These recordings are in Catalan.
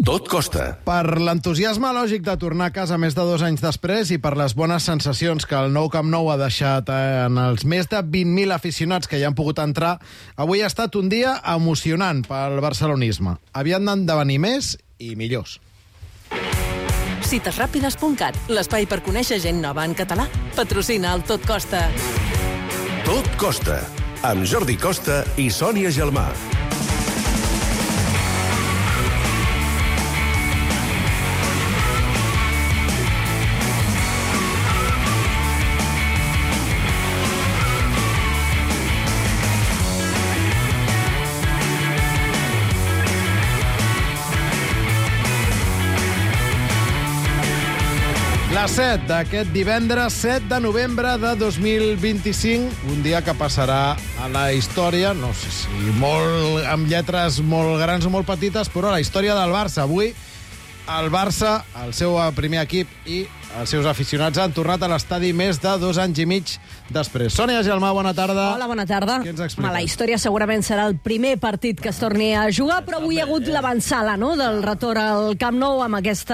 Tot costa. Per l'entusiasme lògic de tornar a casa més de 2 anys després i per les bones sensacions que el nou Camp Nou ha deixat en els més de 20.000 aficionats que hi han pogut entrar, avui ha estat un dia emocionant pel barcelonisme. Havien d'esdevenir més i millors. Citesràpides.cat, l'espai per conèixer gent nova en català. Patrocina el Tot Costa. Tot costa. Amb Jordi Costa i Sònia Gelmà. La 7 d'aquest divendres 7 de novembre de 2025, un dia que passarà a la història, no sé si molt amb lletres molt grans o molt petites, però a la història del Barça. Avui el Barça, el seu primer equip i els seus aficionats han tornat a l'estadi més de 2 anys i mig després. Sònia Gelmà, bona tarda. Hola, bona tarda. Què ens expliques? La història segurament serà el primer partit que es torni a jugar, però avui hi ha hagut l'avançala, no?, del retorn al Camp Nou amb aquest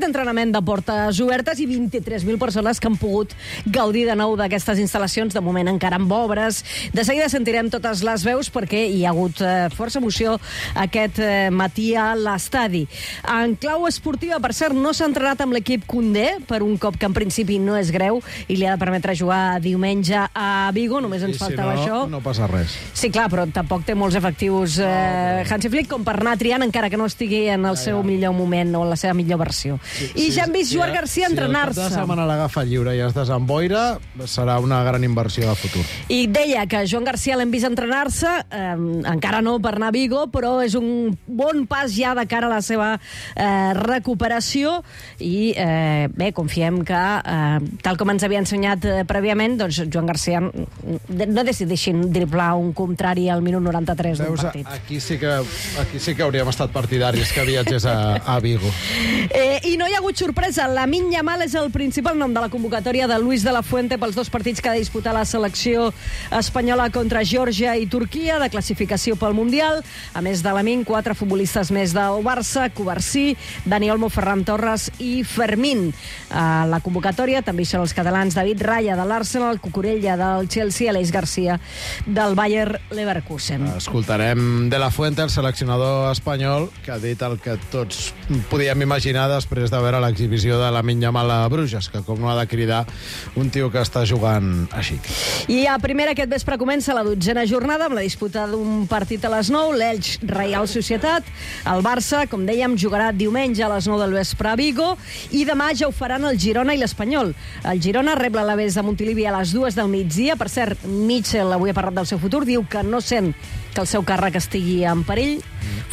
entrenament de portes obertes i 23.000 persones que han pogut gaudir de nou d'aquestes instal·lacions, de moment encara amb obres. De seguida sentirem totes les veus perquè hi ha hagut força emoció aquest matí a l'estadi. En clau esportiva, per cert, no s'ha entrenat amb l'equip Koundé, per un cop que en principi no és greu i li ha de permetre jugar diumenge a Vigo, només ens faltava això. No passa res. Sí, clar, però tampoc té molts efectius Hansi Flick com per anar triant, encara que no estigui en el seu millor moment o en la seva millor versió. I ja hem vist Joan Garcia entrenar-se. Si el cap de setmana l'agafa lliure i es desemboira, serà una gran inversió de futur. I deia que Joan Garcia l'hem vist entrenar-se, encara no per anar a Vigo, però és un bon pas ja de cara a la seva recuperació i bé, confiem que, tal com ens havia ensenyat prèviament, doncs Joan Garcia no decideixin driblar un contrari al minut 93 d'un partit. Aquí sí que hauríem estat partidaris que viatgés a Vigo. I no hi ha hagut sorpresa. Lamine Yamal és el principal nom de la convocatòria de Luis de la Fuente pels 2 partits que ha de disputar la selecció espanyola contra Geòrgia i Turquia, de classificació pel Mundial. A més de Lamine, 4 futbolistes més del Barça: Covarsí, Dani Olmo, Ferran Torres i Fermín. A la convocatòria també hi són els catalans David Raya de l'Arsenal, Cucurella del Chelsea, Aleix Garcia del Bayer Leverkusen. Escoltarem de la Fuente, el seleccionador espanyol, que ha dit el que tots podíem imaginar després de veure l'exhibició de Lamine Yamal a Bruges, que com no ha de cridar un tio que està jugant així. I a primera aquest vespre comença la 12a jornada amb la disputa d'un partit a les 9, l'Elx Reial Societat. El Barça, com dèiem, jugarà diumenge a les 9 del vespre a Vigo i demà ja ho faran el Girona i l'Espanyol. El Girona rep l'Alavés de Montilivi a les 2 del migdia. Per cert, Mitchell avui ha parlat del seu futur, diu que no sent que el seu càrrec estigui en perill.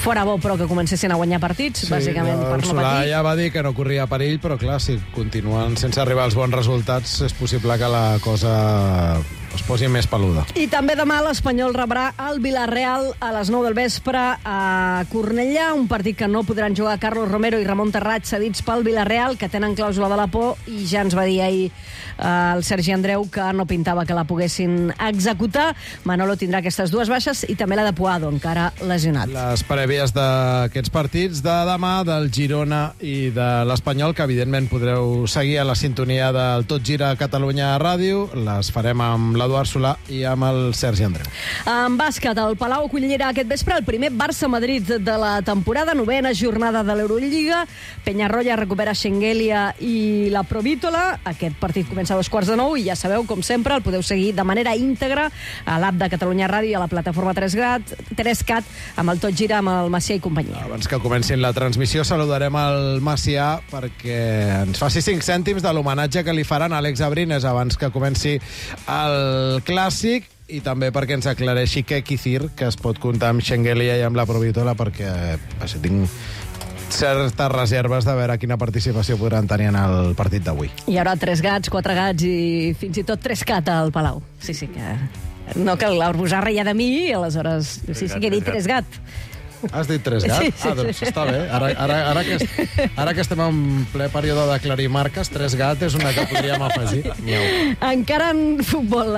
Fora bo, però, que comencessin a guanyar partits, bàsicament per no Solà patir. ja va dir que no corria perill, però clar, si continuen sense arribar als bons resultats, és possible que la cosa es posi més peluda. I també demà l'Espanyol rebrà el Villarreal a les 9 del vespre a Cornellà, un partit que no podran jugar Carlos Romero i Ramon Terrat, cedits pel Villarreal, que tenen clàusula de la por, i ja ens va dir ahir el Sergi Andreu que no pintava que la poguessin executar. Manolo tindrà aquestes 2 baixes i també la de Puado, encara lesionat. Les prèvies d'aquests partits de demà, del Girona i de l'Espanyol, que evidentment podreu seguir a la sintonia del Tot Gira Catalunya Ràdio, les farem amb l'Eduard Solà i amb el Sergi Andreu. En bàsquet, el Palau acollirà aquest vespre el primer Barça-Madrid de la temporada, 9a jornada de l'Eurolliga. Peñarroya recupera Schengelia i la Provítola. Aquest partit comença a 8:45 i ja sabeu, com sempre, el podeu seguir de manera íntegra a l'app de Catalunya Ràdio i a la plataforma 3CAT amb el Tot Gira, amb el Macià i companyia. Abans que comencin la transmissió, saludarem el Macià perquè ens faci 5 cèntims de l'homenatge que li faran a Àlex Abrines abans que comenci el Clàssic, i també perquè ens aclareixi què Kicir, que es pot comptar amb Schengelia i amb la Provítola, perquè tinc certes reserves de veure quina participació podran tenir en el partit d'avui. Hi haurà 3 gats, 4 gats i fins i tot 3 cat al Palau. Sí, que... No, que l'Arbusar reia de mi, aleshores... Sí, que he dit 3 gat. Has dit 3 gats? Sí, Doncs està bé. Ara que estem en ple període d'aclarir marques, 3 gat és una que podríem afegir. Encara en futbol,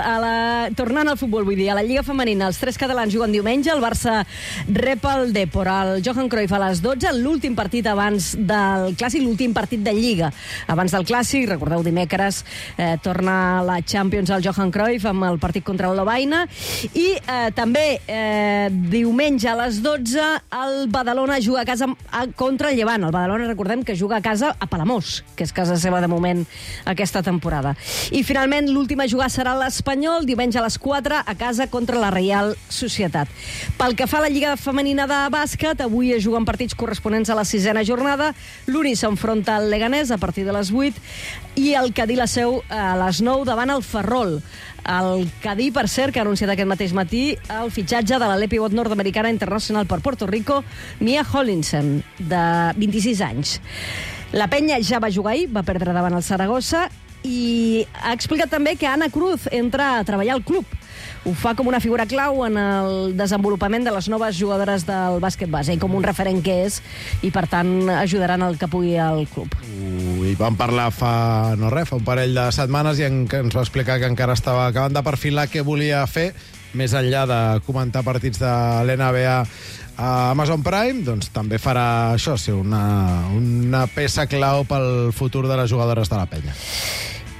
tornant al futbol, vull dir, a la Lliga Femenina, els 3 catalans juguen diumenge, el Barça rep el Depor, el Johan Cruyff a les 12, l'últim partit abans del Clàssic, l'últim partit de Lliga. Abans del Clàssic, recordeu, dimecres torna la Champions al Johan Cruyff amb el partit contra el Lovaina, i també diumenge a les 12 el Badalona juga a casa contra el Llevant. El Badalona, recordem que juga a casa a Palamós, que és casa seva de moment aquesta temporada. I finalment l'última a jugar serà l'Espanyol, diumenge a les 4 a casa contra la Reial Societat. Pel que fa a la Lliga Femenina de bàsquet, avui es juguen partits corresponents a la 6a jornada. L'Uni s'enfronta al Leganés a partir de les 8 i el Cadí la seu a les 9 davant el Ferrol. El Cadí, per cert, que ha anunciat aquest mateix matí el fitxatge de la pivot nord-americana internacional per Puerto Rico, Mia Hollinson, de 26 anys. La Penya ja va jugar ahir, va perdre davant el Saragossa, i ha explicat també que Ana Cruz entra a treballar al club. Ho fa com una figura clau en el desenvolupament de les noves jugadores del bàsquet base, i com un referent que és, i per tant ajudaran el que pugui al club. I vam parlar fa un parell de setmanes, i ens va explicar que encara estava acabant de perfilar què volia fer, més enllà de comentar partits de l'NBA a Amazon Prime, doncs també farà això, ser una peça clau pel futur de les jugadores de la Penya.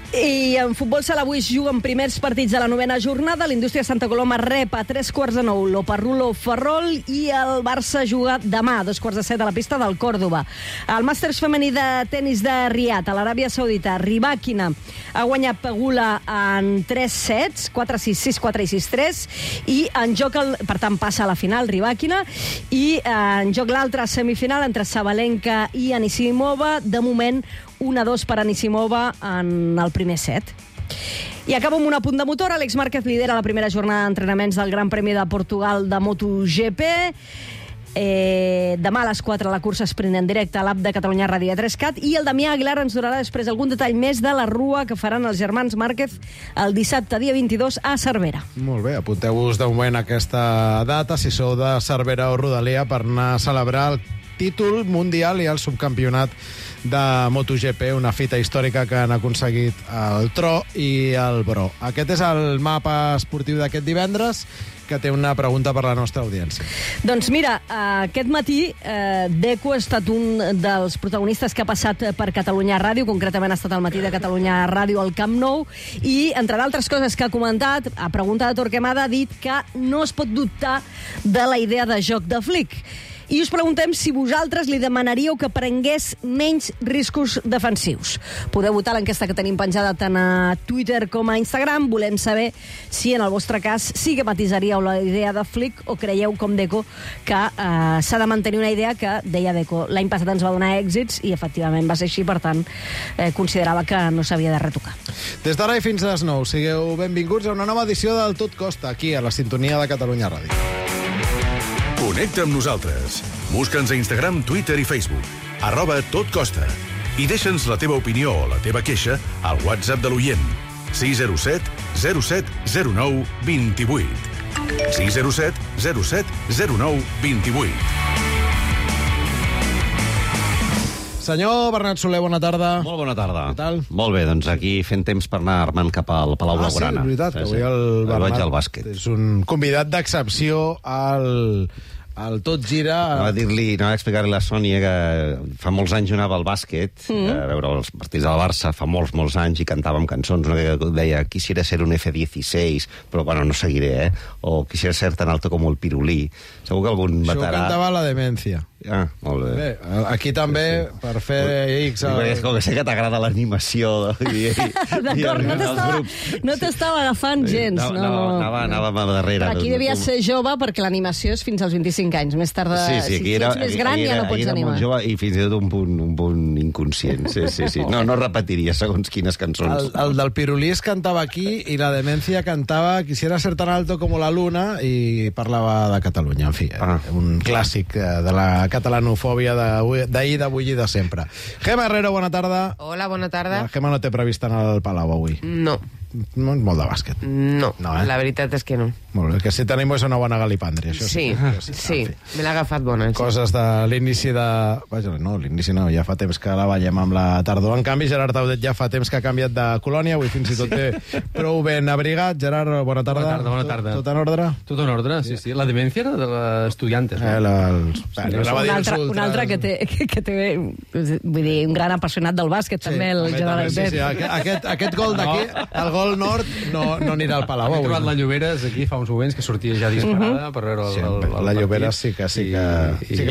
I en futbol sala avui juguen primers partits de la 9a jornada. L'Indústria Santa Coloma rep a 9:15 l'Oparrulo Ferrol, i el Barça juga demà a 2:15 a la pista del Còrdova. El màsters femení de tenis de Riad a l'Aràbia Saudita, Rybakina ha guanyat Pegula en 3 sets, 4-6, 6-4 i 6-3, i en joc, per tant passa a la final Rybakina, i en joc l'altra semifinal entre Sabalenka i Anisimova. De moment 1-2 per Anisimova en el primer set. I acabo amb un apunt de motor. Àlex Márquez lidera la primera jornada d'entrenaments del Gran Premi de Portugal de MotoGP. Demà a les 4 la cursa sprint en directe a l'app de Catalunya Ràdio 3CAT, i el Damià Aguilar ens donarà després algun detall més de la rua que faran els germans Márquez el dissabte, dia 22, a Cervera. Molt bé, apunteu-vos de moment aquesta data, si sou de Cervera o Rodalia, per anar a celebrar el títol mundial i el subcampionat de MotoGP, una fita històrica que han aconseguit el Tro i el Bro. Aquest és el mapa esportiu d'aquest divendres, que té una pregunta per la nostra audiència. Doncs mira, aquest matí Deco ha estat un dels protagonistes que ha passat per Catalunya Ràdio, concretament ha estat al matí de Catalunya Ràdio al Camp Nou, i entre d'altres coses que ha comentat, a pregunta de Torquemada, ha dit que no es pot dubtar de la idea de joc de Flick. I us preguntem si vosaltres li demanaríeu que prengués menys riscos defensius. Podeu votar l'enquesta que tenim penjada tant a Twitter com a Instagram. Volem saber si en el vostre cas sí que matisaríeu la idea de Flick, o creieu, com Deco, que s'ha de mantenir una idea que, deia Deco, l'any passat ens va donar èxits i efectivament va ser així, per tant considerava que no s'havia de retocar. Des d'ara i fins a les 9, sigueu benvinguts a una nova edició del Tot Costa, aquí a la sintonia de Catalunya Ràdio. Connecta amb nosaltres. Busca'ns a Instagram, Twitter i Facebook. @totcosta. I deixa'ns la teva opinió o la teva queixa al WhatsApp de l'oient. 607 07 09 28. 607 07 09 28. Senyor Bernat Soler, bona tarda. Molt bona tarda. Què tal? Molt bé, doncs aquí fent temps per anar armant cap al Palau Blaugrana. Sí, és veritat, que avui el Bernat vaig al bàsquet. És un convidat d'excepció al Tot Gira. Anava a explicar-li a la Sònia que fa molts anys jo anava al bàsquet, a veure els partits del Barça, fa molts anys, i cantàvem cançons. Una que deia, quisiera ser un F-16, però bueno, no seguiré, o quisiera ser tan alto como el pirulí. Segur que algun Això veterà... cantava la Demència. Ah, molt bé. Bé, aquí també, per fer X... És com que sé que t'agrada l'animació. D'acord, no t'estava agafant gens. Anava darrere. Aquí devia ser jove, perquè l'animació és fins als 25 anys. Més tard, si ets més gran, ja no pots animar. Molt jove, i fins i tot un punt inconscient. Sí. No repetiria segons quines cançons. El del pirulí es cantava aquí, i la Demència cantava Quisiera ser tan alto como la luna, i parlava de Catalunya. En fi, un clàssic de la catalanofòbia d'ahir, d'avui i de sempre. Gemma Herrero, bona tarda. Hola, bona tarda. La Gemma no té previst anar al Palau avui. No. no és molt de bàsquet. No, No, la veritat és que no. Molt bé, el que sí tenim és una bona galipàndria, això Sí, sí. me l'ha agafat bona. Sí. Coses de l'inici de... Vaja, no, l'inici no, ja fa temps que la veiem amb la tardor. En canvi, Gerard Taudet ja fa temps que ha canviat de colònia, avui fins i tot té prou ben abrigat. Gerard, bona tarda. Bona tarda. Tot en ordre? Tot en ordre, sí. La demencia era de l'estudiantes. Un altre que té, vull dir, un gran apassionat del bàsquet, també, el Gerard Taudet. Aquest gol d'aquí, el gol nord, no anirà al Palau. He trobat la Lloberes aquí fa uns moments que sortia ja disparada per veure la Lloberes sí que li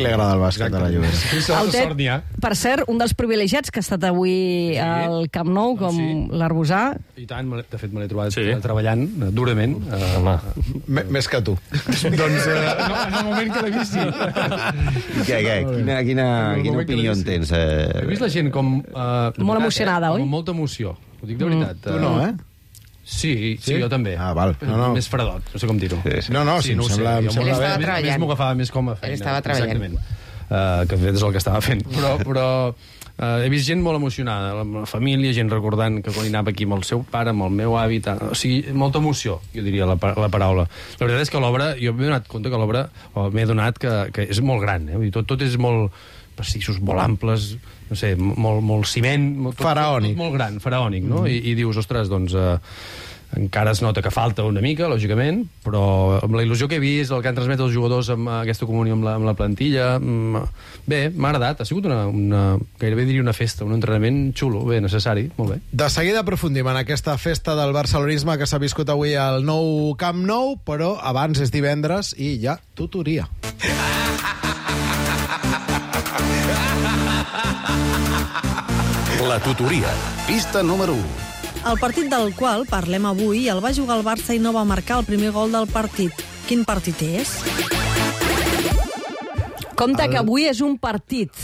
agrada el bàsquet de la Lloberes. El Tet, per cert, un dels privilegiats que ha estat avui al Camp Nou, com l'Arbusà. I tant, de fet me l'he trobat treballant durament. Més que tu. Doncs en el moment que l'he vist, sí. Quina opinió en tens? He vist la gent com... Molt emocionada, oi? Amb molta emoció. Ho dic de veritat. Tu no, eh? Sí, jo també. Ah, val. No. Més fredot, no sé com dir-ho. No, sí, em sembla bé. Estava treballant. Més m'ho agafava més com a feina. Estava treballant. Exactament. Que de fet és el que estava fent. Però he vist gent molt emocionada, la família, gent recordant que quan hi anava aquí amb el seu pare, amb el meu avi, o sigui, molta emoció, jo diria la paraula. La veritat és que l'obra, jo m'he donat compte que l'obra, m'he donat que és molt gran, tot és molt pastissos, molt amples, no sé, molt ciment... Faraònic. Molt gran, faraònic, no? I dius, ostres, doncs... encara es nota que falta una mica, lògicament, però amb la il·lusió que he vist, el que han transmet els jugadors amb aquesta comunió amb la plantilla, bé, m'ha agradat. Ha sigut gairebé diria una festa, un entrenament xulo, bé, necessari, molt bé. De seguida aprofundim en aquesta festa del barcelonisme que s'ha viscut avui al nou Camp Nou, però abans és divendres i hi ha tutoria. La tutoria, pista número 1. El partit del qual parlem avui el va jugar el Barça i no va marcar el primer gol del partit. Quin partit és? Compte que avui és un partit.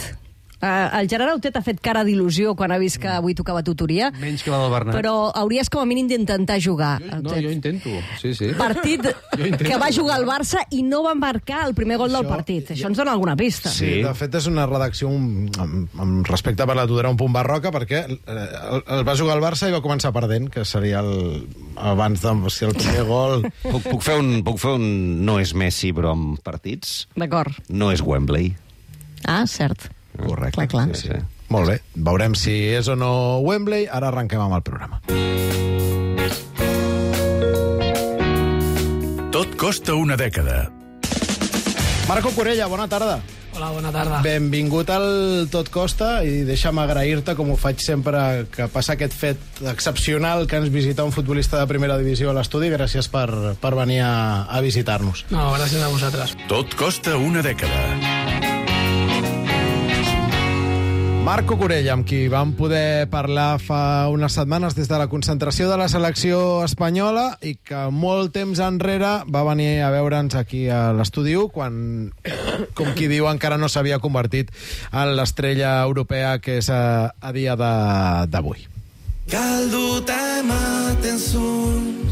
El Gerard Autet ha fet cara d'il·lusió quan ha vist que avui tocava tutoria. Menys que la del Bernat. Però hauries com a mínim d'intentar jugar. No, jo intento, sí. Partit que va jugar el Barça i no va marcar el primer gol del partit. Això ens dona alguna pista. Sí, de fet és una redacció amb respecte per la tutoria un punt barroca, perquè el va jugar el Barça i va començar perdent, que seria abans de ser el primer gol. Puc fer un no és Messi, però amb partits? D'acord. No és Wembley. Ah, cert. Correcte. Clar. Sí. Molt bé, veurem si és o no Wembley. Ara arrenquem amb el programa. Tot costa una dècada. Marco Corella, bona tarda. Hola, bona tarda. Benvingut al Tot Costa i deixa'm agrair-te, com ho faig sempre, que passa aquest fet excepcional que ens visita un futbolista de primera divisió a l'estudi. Gràcies per venir a visitar-nos. No, gràcies a vosaltres. Tot costa una dècada. Marco Corella, amb qui vam poder parlar fa unes setmanes des de la concentració de la selecció espanyola i que molt temps enrere va venir a veure'ns aquí a l'estudi 1 quan, com qui diu, encara no s'havia convertit en l'estrella europea que és a dia d'avui. Galduta ematen zuen,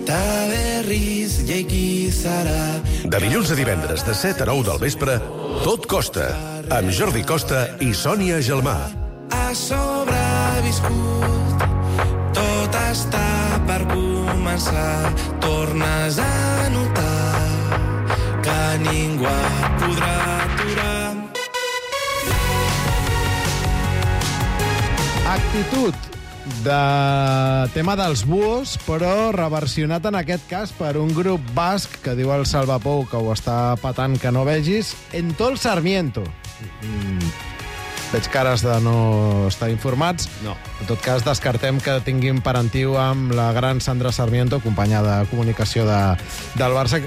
ta berriz jeiki zara. De dilluns a divendres, de 7 a 9 del vespre, Tot costa, amb Jordi Costa i Sònia Gelmà. Ha sobreviscut, tot està per començar. Tornes a notar que ningú et podrà aturar. Actitud de tema dels buos, però reversionat en aquest cas per un grup basc que diu el Salvapou que ho està patant que no vegis, Entol Sarmiento. Veig cares de no estar informats. No. En tot cas, descartem que tinguin parentiu amb la gran Sandra Sarmiento, companya de comunicació del Barça.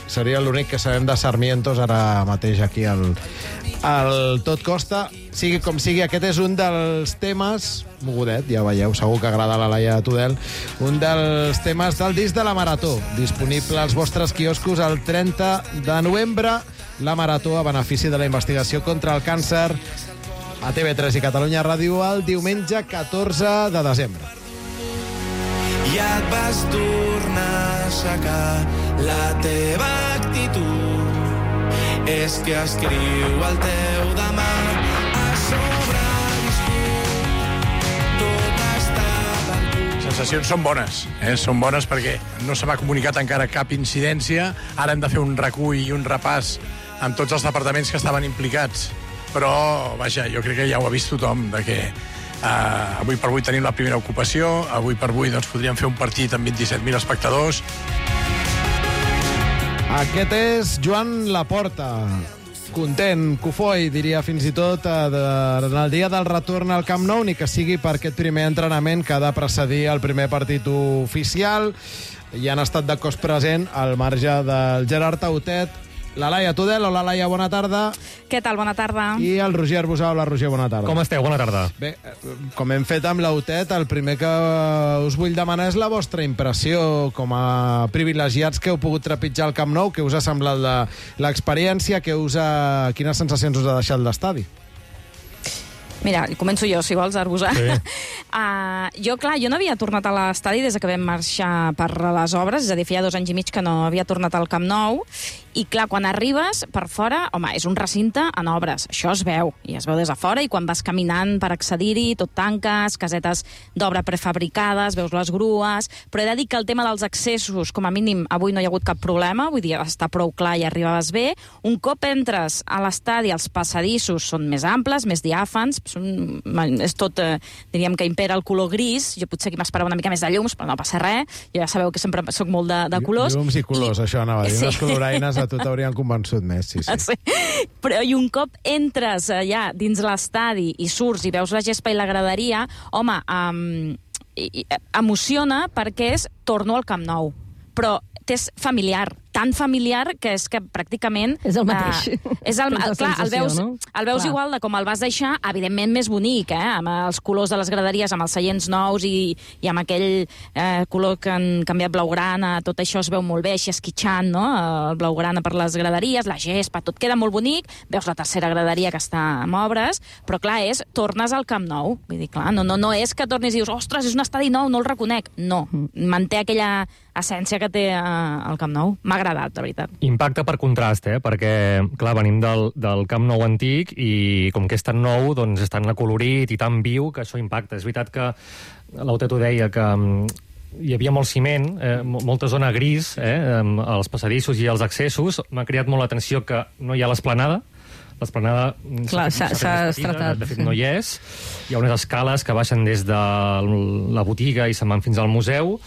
Seria l'únic que sabem de Sarmientos ara mateix aquí al Tot Costa. Sigui com sigui, aquest és un dels temes, mogudet, ja veieu, segur que agrada a la Laia Tudel, un dels temes del disc de la Marató, disponible als vostres quioscos el 30 de novembre. La Marató a benefici de la investigació contra el càncer a TV3 i Catalunya Ràdio el diumenge 14 de desembre. I et vas tornar a aixecar la teva actitud. És que escriu el teu demà. Ha sobreviscut, tot està per tu. Això sensacions són bones. Són bones perquè no se m'ha comunicat encara cap incidència. Ara hem de fer un recull i un repàs amb tots els departaments que estaven implicats. Però, vaja, jo crec que ja ho ha vist tothom, de que avui per avui tenim la primera ocupació, avui per avui doncs, podríem fer un partit amb 27.000 espectadors. Aquest és Joan Laporta. Content, cofoi, diria fins i tot, en el dia del retorn al Camp Nou, ni que sigui per aquest primer entrenament que ha de precedir el primer partit oficial. I han estat de cos present al marge del Gerard Tautet, la Laia Tudel. Hola, Laia, bona tarda. Què tal? Bona tarda. I el Roger Arbusà. Hola, Roger, bona tarda. Com esteu? Bona tarda. Bé, com hem fet amb l'Autet, el primer que us vull demanar és la vostra impressió com a privilegiats que heu pogut trepitjar al Camp Nou. Què us ha semblat l'experiència? Quines sensacions us ha deixat l'estadi? Mira, començo jo, si vols, Arbusà. Sí. Jo no havia tornat a l'estadi des que vam marxar per les obres, és a dir, feia 2 anys i mig que no havia tornat al Camp Nou, i clar, quan arribes per fora, home, és un recinte en obres, això es veu, i es veu des de fora, i quan vas caminant per accedir-hi, tot tanques, casetes d'obra prefabricades, veus les grues, però he de dir que el tema dels accessos, com a mínim, avui no hi ha hagut cap problema, vull dir, està prou clar i arribaves bé. Un cop entres a l'estadi, els passadissos són més amples, més diàfans, és tot, diríem que impera el color gris, jo potser aquí m'esperava una mica més de llums, però no passa res, jo ja sabeu que sempre soc molt de colors. Llums i colors, això anava a dir, unes coloraines a tu t'haurien convençut més, sí. Però i un cop entres allà dins l'estadi i surts i veus la gespa i la graderia, home, emociona perquè torno al Camp Nou, però és familiar, tan familiar que és que pràcticament... És el mateix. Clar, el veus igual de com el vas deixar, evidentment més bonic, amb els colors de les graderies, amb els seients nous i amb aquell color que han canviat blaugrana, tot això es veu molt bé, així esquitxant, no? El blaugrana per les graderies, la gespa, tot queda molt bonic, veus la tercera graderia que està amb obres, però clar, tornes al Camp Nou. Vull dir, clar, no és que tornis i dius, ostres, és un estadi nou, no el reconec. No, manté aquella essència que té el Camp Nou. M'ha agradat, de veritat. Impacte per contrast, perquè, clar, venim del Camp Nou antic i com que és tan nou, doncs és tan acolorit i tan viu que això impacta. És veritat que l'Autet ho deia, que hi havia molt ciment, molta zona gris, als passadissos i als accessos. M'ha cridat molt l'atenció que no hi ha l'esplanada. L'esplanada s'ha estratat. De fet, no hi és. Hi ha unes escales que baixen des de la botiga i se'n van fins al museu.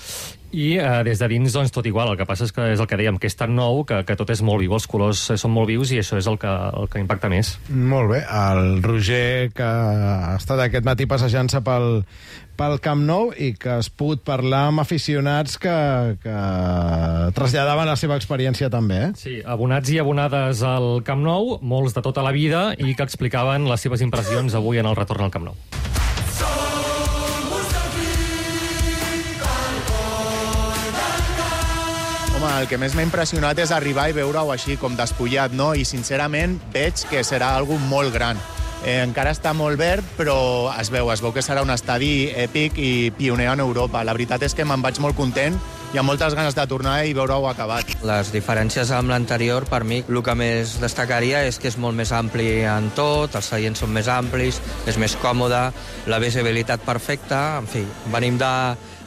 I des de dins, doncs, tot igual. El que passa és el que dèiem, que és tan nou que tot és molt viu, els colors són molt vius i això és el que impacta més. Molt bé. El Roger, que ha estat aquest matí passejant-se pel Camp Nou i que has pogut parlar amb aficionats que traslladaven la seva experiència també, Sí, abonats i abonades al Camp Nou, molts de tota la vida, i que explicaven les seves impressions avui en el retorn al Camp Nou. Home, el que més m'ha impressionat és arribar i veure-ho així, com despullat, no? I, sincerament, veig que serà algo molt gran. Encara està molt verd, però es veu que serà un estadi èpic i pioner en Europa. La veritat és que me'n vaig molt content i amb moltes ganes de tornar i veure-ho acabat. Les diferències amb l'anterior, per mi, el que més destacaria és que és molt més ampli en tot, els seients són més amplis, és més còmode, la visibilitat perfecta, en fi, venim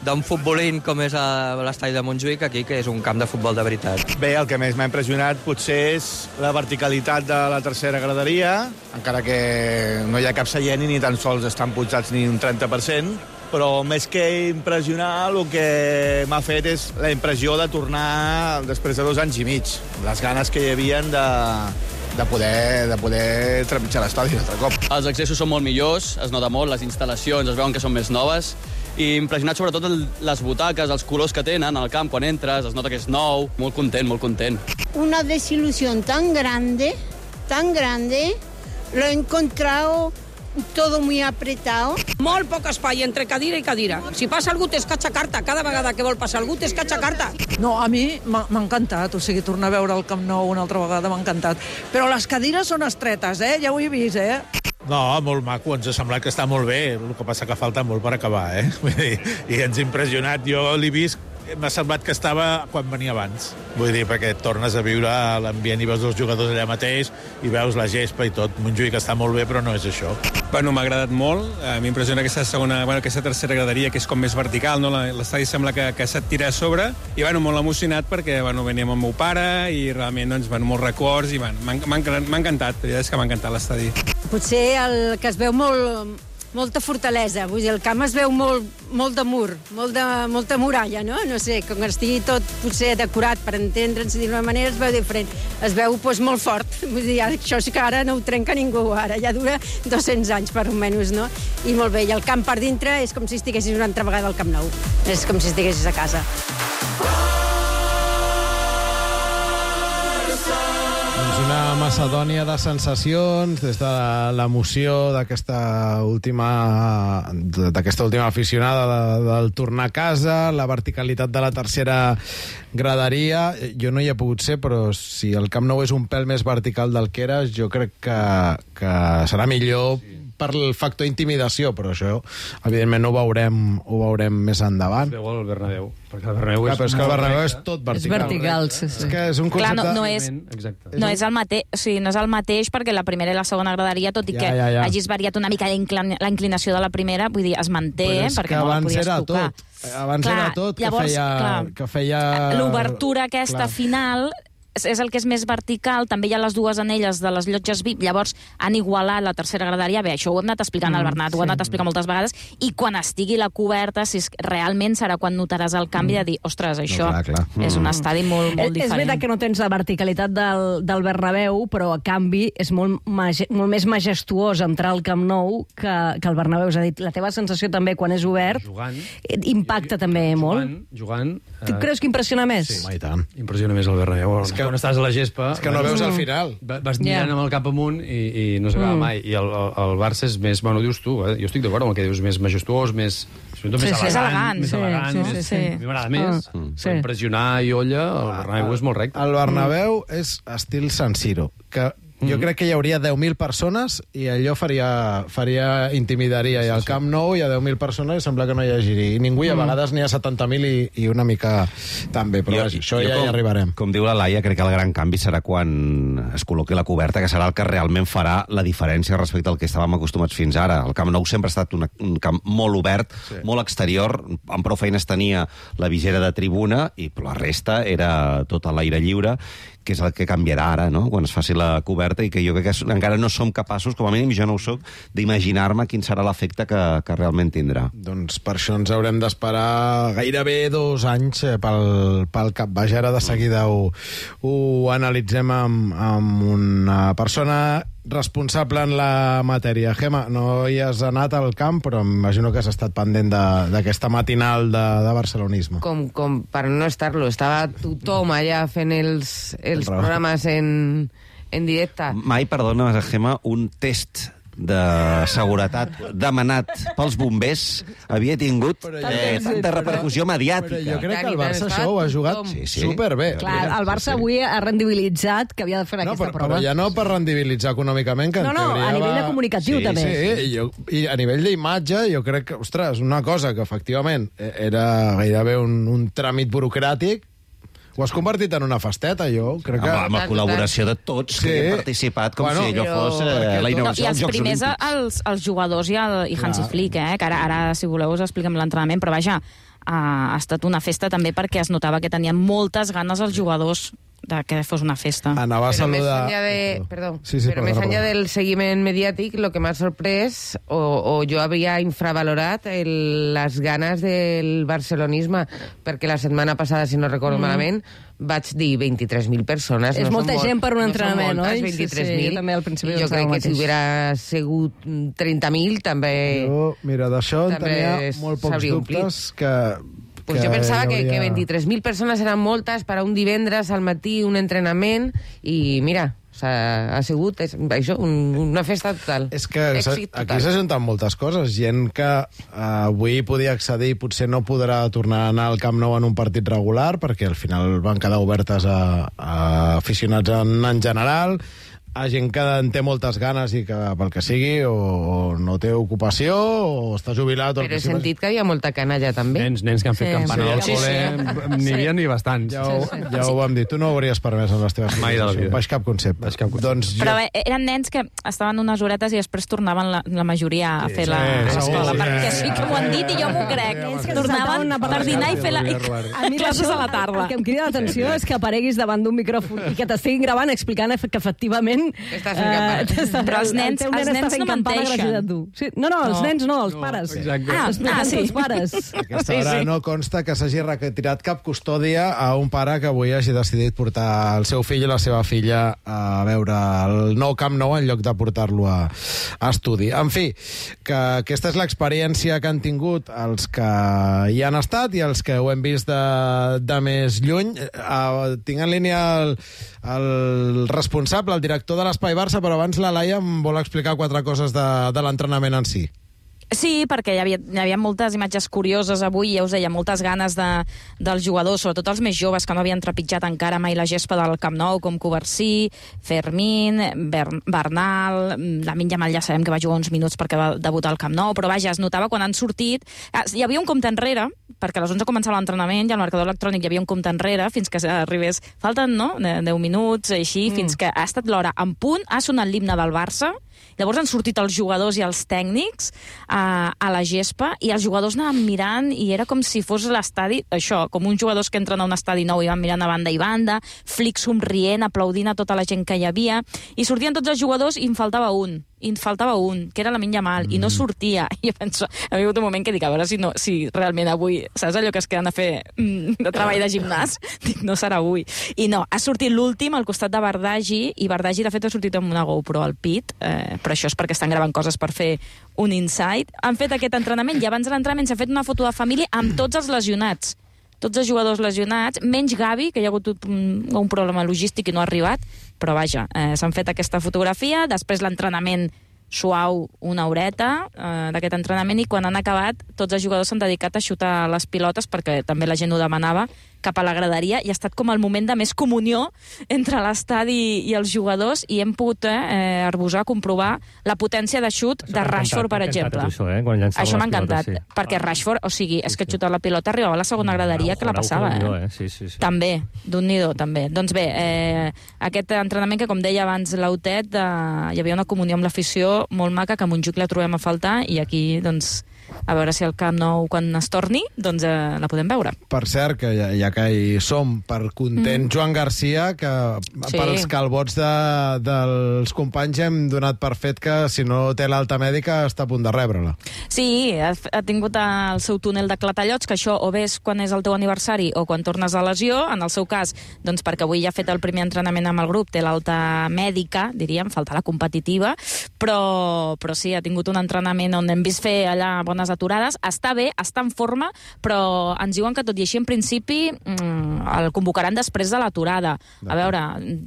d'un futbolín com és l'estadi de Montjuïc, aquí, que és un camp de futbol de veritat. Bé, el que més m'ha impressionat potser és la verticalitat de la tercera graderia, encara que no hi ha cap seient i ni tan sols estan pujats ni un 30%, però més que impressionar, el que m'ha fet és la impressió de tornar després de 2 anys i mig. Les ganes que hi havia de poder trepitjar l'estadi un altre cop. Els accessos són molt millors, es nota molt, les instal·lacions es veuen que són més noves, i impressionat sobretot les butaques, els colors que tenen al camp quan entres, es nota que és nou, molt content, molt content. Una desilusión tan grande, lo he encontrado todo muy apretado. Molt poc espai entre cadira i cadira. Si passa algú t'escatxa carta. Cada vegada que vol passar algú t'escatxa carta. No, a mi m'ha encantat. O sigui, tornar a veure el Camp Nou una altra vegada m'ha encantat. Però les cadires són estretes, ja ho he vist, No, molt maco, ens ha semblat que està molt bé. El que passa que falta molt per acabar, Vull dir, i ens ha impressionat. Jo l'he vist m'ha semblat que estava quan venia abans. Vull dir, perquè tornes a viure l'ambient i veus els jugadors allà mateix i veus la gespa i tot. Montjuïc està molt bé, però no és això. Bueno, m'ha agradat molt. M'impressiona aquesta tercera graderia, que és com més vertical, no? L'estadi sembla que se't tira a sobre. I, molt emocionat perquè, veníem amb el meu pare i realment, molts records i m'ha encantat. La veritat és que m'ha encantat l'estadi. Potser el que es veu molta fortalesa, vull dir, el camp es veu molt de mur, molta muralla, no? No sé, com que estigui tot potser decorat per entendre'ns d'una manera, es veu diferent. Es veu molt fort, vull dir, això és que ara no ho trenca ningú, ara ja dura 200 anys per almenys, no? I molt bé, i el camp per dintre és com si estiguessis una altra vegada al Camp Nou, és com si estiguessis a casa. Una macedònia de sensacions des de l'emoció d'aquesta última aficionada del tornar a casa, la verticalitat de la tercera graderia. Jo no hi he pogut ser, però si el Camp Nou és un pèl més vertical del que era, jo crec que serà millor per el factor intimidació, però això, evidentment, ho veurem més endavant. Es veu al Bernabéu, perquè el Bernabéu però és que el Bernabéu és tot vertical. És vertical, sí. És que és un concepte... Clar, no és el mateix, o sigui, no és el mateix perquè la primera i la segona graderia, tot i que hagis variat una mica la inclinació de la primera, vull dir, es manté, perquè no la podies tocar. Abans era tot que feia... L'obertura aquesta final és el que és més vertical, també hi ha les dues anelles de les llotges VIP, llavors han igualat la tercera graderia. Bé, això ho hem anat explicant al Bernat, ho hem anat explicant moltes vegades, i quan estigui la coberta, si realment serà quan notaràs el canvi de dir, ostres, això és un estadi molt diferent. És veritat que no tens la verticalitat del Bernabéu, però a canvi és molt més majestuós entrar al Camp Nou que el Bernabéu. És a dir, la teva sensació també quan és obert impacta també molt. Jugant. Tu creus que impressiona més? Sí, i tant. Impressiona més el Bernabéu. Quan estàs a la gespa... És que no veus al final. Vas mirant amb el cap amunt i no s'acaba mai. I el Barça és més... Bueno, dius tu, jo estic d'acord amb el que dius, més majestuós, més elegant. A mi m'agrada més. Per impressionar i olla, el Bernabéu és molt recte. El Bernabéu és estil San Siro, que jo crec que hi hauria 10.000 persones i allò intimidaria. I al Camp Nou hi ha 10.000 persones i sembla que no hi hagi i ningú, i a vegades n'hi ha 70.000 i una mica també, però això ja hi arribarem. Com diu la Laia, crec que el gran canvi serà quan es col·loqui la coberta, que serà el que realment farà la diferència respecte al que estàvem acostumats fins ara. El Camp Nou sempre ha estat un camp molt obert, molt exterior, amb prou feines tenia la visera de tribuna i la resta era tot a l'aire lliure, que és el que canviarà ara, no?, quan es faci la coberta, i que jo crec que encara no som capaços, com a mínim jo no ho soc, d'imaginar-me quin serà l'efecte que realment tindrà. Doncs per això ens haurem d'esperar gairebé 2 anys pel capbaix. Ara de seguida ho analitzem amb una persona responsable en la matèria. Gemma, no hi has anat al camp, però m'imagino que has estat pendent d'aquesta matinal de barcelonisme. Com per no estar-lo. Estava tothom allà fent els programes en directe. Mai, perdona, Gemma, un test de seguretat demanat pels bombers havia tingut tanta repercussió mediàtica. Però jo crec que el Barça això ho ha jugat superbé. Clar, el Barça avui ha rendibilitzat que havia de fer aquesta prova. Però ja no per rendibilitzar econòmicament, que a nivell de comunicatiu també. Sí, i a nivell d'imatge jo crec que, ostres, una cosa que efectivament era gairebé un tràmit burocràtic, ho has convertit en una festeta, jo crec que... Amb la col·laboració de tots que hi hem participat, com si allò fos la inauguració dels Jocs Olímpics. I els primers, els jugadors i Hansi Flick, que ara, si voleu, us expliquem l'entrenament, però vaja, ha estat una festa també perquè es notava que tenien moltes ganes els jugadors de que fos una festa. Anava a saludar... Però més enllà del seguiment mediàtic, el que m'ha sorprès, o jo havia infravalorat les ganes del barcelonisme, perquè la setmana passada, si no recordo malament, vaig dir 23.000 persones. És molta gent per un entrenament, oi? 23.000. Jo també al principi jo crec que si hubiera sigut 30.000, també... Mira, d'això en tenia molt pocs dubtes que... Pues jo pensava que 23.000 persones eren moltes per a un divendres al matí, un entrenament, i mira, ha sigut això, una festa total. És que aquí s'ajunten moltes coses. Gent que avui podia accedir i potser no podrà tornar a anar al Camp Nou en un partit regular, perquè al final van quedar obertes a aficionats en general. a gent que en té moltes ganes i que pel que sigui o no té ocupació o està jubilat. Però he sentit que hi ha molta canalla també. Nens que han fet campana al col·le, n'hi havia ni bastants. Ja ho vam dir, tu no ho hauries permès en les teves mai de la vida. Baix cap concepte. Doncs però eren nens que estaven unes horetes i després tornaven la majoria a fer l'escola, perquè sí que m'ho han dit i jo m'ho crec. Tornaven per dinar i fer classes a la tarda. El que em crida l'atenció és que apareguis davant d'un micròfon i que t'estiguin gravant explicant que efectivament però els nens no menteixen. No, els nens no, els pares. Sí. Els pares. Aquesta hora no consta que s'hagi retirat cap custòdia a un pare que avui hagi decidit portar el seu fill i la seva filla a veure el nou Camp Nou en lloc de portar-lo a estudi. En fi, que aquesta és l'experiència que han tingut els que hi han estat i els que ho hem vist de més lluny. Tinc en línia el responsable, el director de l'Espai Barça, però abans la Laia em vol explicar 4 coses de l'entrenament en si. Sí, perquè hi havia moltes imatges curioses avui, ja us deia, moltes ganes dels jugadors, sobretot els més joves que no havien trepitjat encara mai la gespa del Camp Nou, com Covarsí, Fermín, Bernal, Lamine Yamal ja sabem que va jugar uns minuts perquè va debutar al Camp Nou, però vaja, es notava quan han sortit... Hi havia un compte enrere, perquè a les 11 començava l'entrenament i al marcador electrònic hi havia un compte enrere fins que arribés... Falten, no?, 10 minuts, així, fins que ha estat l'hora en punt, ha sonat l'himne del Barça. Llavors han sortit els jugadors i els tècnics a la gespa i els jugadors anaven mirant i era com si fos l'estadi, això, com uns jugadors que entren a un estadi nou i van mirant a banda i banda, Flick somrient, aplaudint a tota la gent que hi havia, i sortien tots els jugadors i en faltava un, que era Lamine Yamal, i no sortia. I jo penso, ha hagut un moment que dic, a veure si realment avui, saps allò que es queden a fer de treball de gimnàs? Dic, no serà avui. I no, ha sortit l'últim al costat de Bardagi, i Bardagi, de fet, ha sortit amb una GoPro al pit, però això és perquè estan gravant coses per fer un insight. Han fet aquest entrenament i abans de l'entrenament s'ha fet una foto de família amb tots els lesionats. Tots els jugadors lesionats, menys Gavi, que hi ha hagut un problema logístic i no ha arribat, però vaja, s'han fet aquesta fotografia, després l'entrenament suau, una horeta d'aquest entrenament, i quan han acabat tots els jugadors s'han dedicat a xutar les pilotes perquè també la gent ho demanava cap a la graderia, i ha estat com el moment de més comunió entre l'estadi i els jugadors, i hem pogut arbusar, comprovar la potència de xut de Rashford, per exemple. Això m'ha encantat, perquè Rashford, o sigui, és que xutar la pilota arribava a la segona graderia que la passava. També, d'un-ni-do, també. Doncs bé, aquest entrenament que, com deia abans l'Autet, hi havia una comunió amb l'afició molt maca, que a Montjuïc la trobem a faltar, i aquí, doncs, a veure si el Camp Nou, quan es torni, doncs la podem veure. Per cert, que ja que hi som, per content Joan Garcia, que pels calbots dels companys hem donat per fet que si no té l'alta mèdica està a punt de rebre-la. Sí, ha tingut el seu túnel de clatallots, que això o bé és quan és el teu aniversari o quan tornes de lesió. En el seu cas, doncs perquè avui ja ha fet el primer entrenament amb el grup, té l'alta mèdica, diríem, falta la competitiva, però sí, ha tingut un entrenament on hem vist fer allà bones aturades. Està bé, està en forma, però ens diuen que tot i així, en principi, el convocaran després de l'aturada. A veure,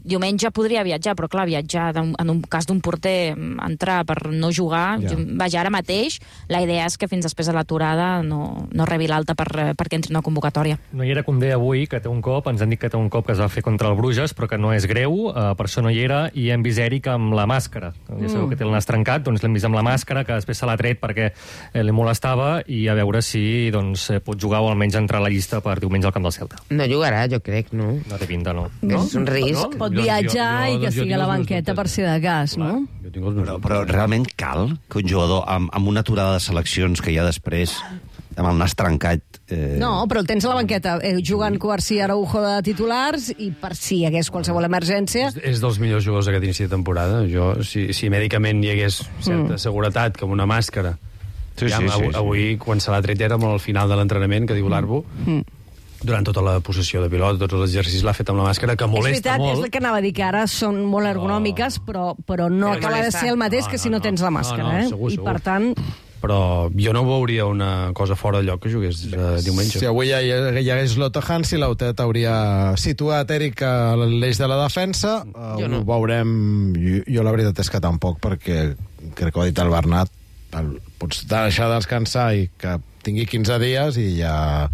diumenge podria viatjar, però clar, viatjar en un cas d'un porter, entrar per no jugar, vaja, ara mateix, la idea és que fins després de l'aturada no rebi l'alta perquè entri una convocatòria. No hi era Koundé avui, que té un cop, ens han dit que té un cop que es va fer contra el Bruges, però que no és greu, per això no hi era, i hem vist Eric amb la màscara. Ja sabeu que té el nas trencat, doncs l'hem vist amb la màscara, que després se l'ha tret perquè li molestava, i a veure si pot jugar o almenys entrar a la llista per diumenge al camp del Celta. No jugarà, jo crec, no? No té pinta, no. És un risc. Pot viatjar i que sigui a la banqueta per si de cas, no? Però realment cal que un jugador amb una aturada de seleccions que hi ha després, amb el nas trencat... No, però el tens a la banqueta jugant Covarsí, Araujo de titulars, i per si hi hagués qualsevol emergència... És dels millors jugadors d'aquest inici de temporada. Si mèdicament hi hagués certa seguretat, com una màscara... Avui, quan se l'ha tret, era molt al final de l'entrenament, que diu l'Arbo, durant tota la possessió de pilot, tots els exercicis l'ha fet amb la màscara, que molesta molt. És el que anava a dir, que ara són molt ergonòmiques, però no acaba de ser el mateix que si no tens la màscara. I per tant... Però jo no veuria una cosa fora de lloc que jugués diumenge. Si avui ja hi hagués l'Otto Hansi, l'Autet hauria situat Eric a l'eix de la defensa. Ho veurem. Jo la veritat és que tampoc, perquè crec que ho ha dit el Bernat, pots deixar de descansar i que tingui 15 dies i ja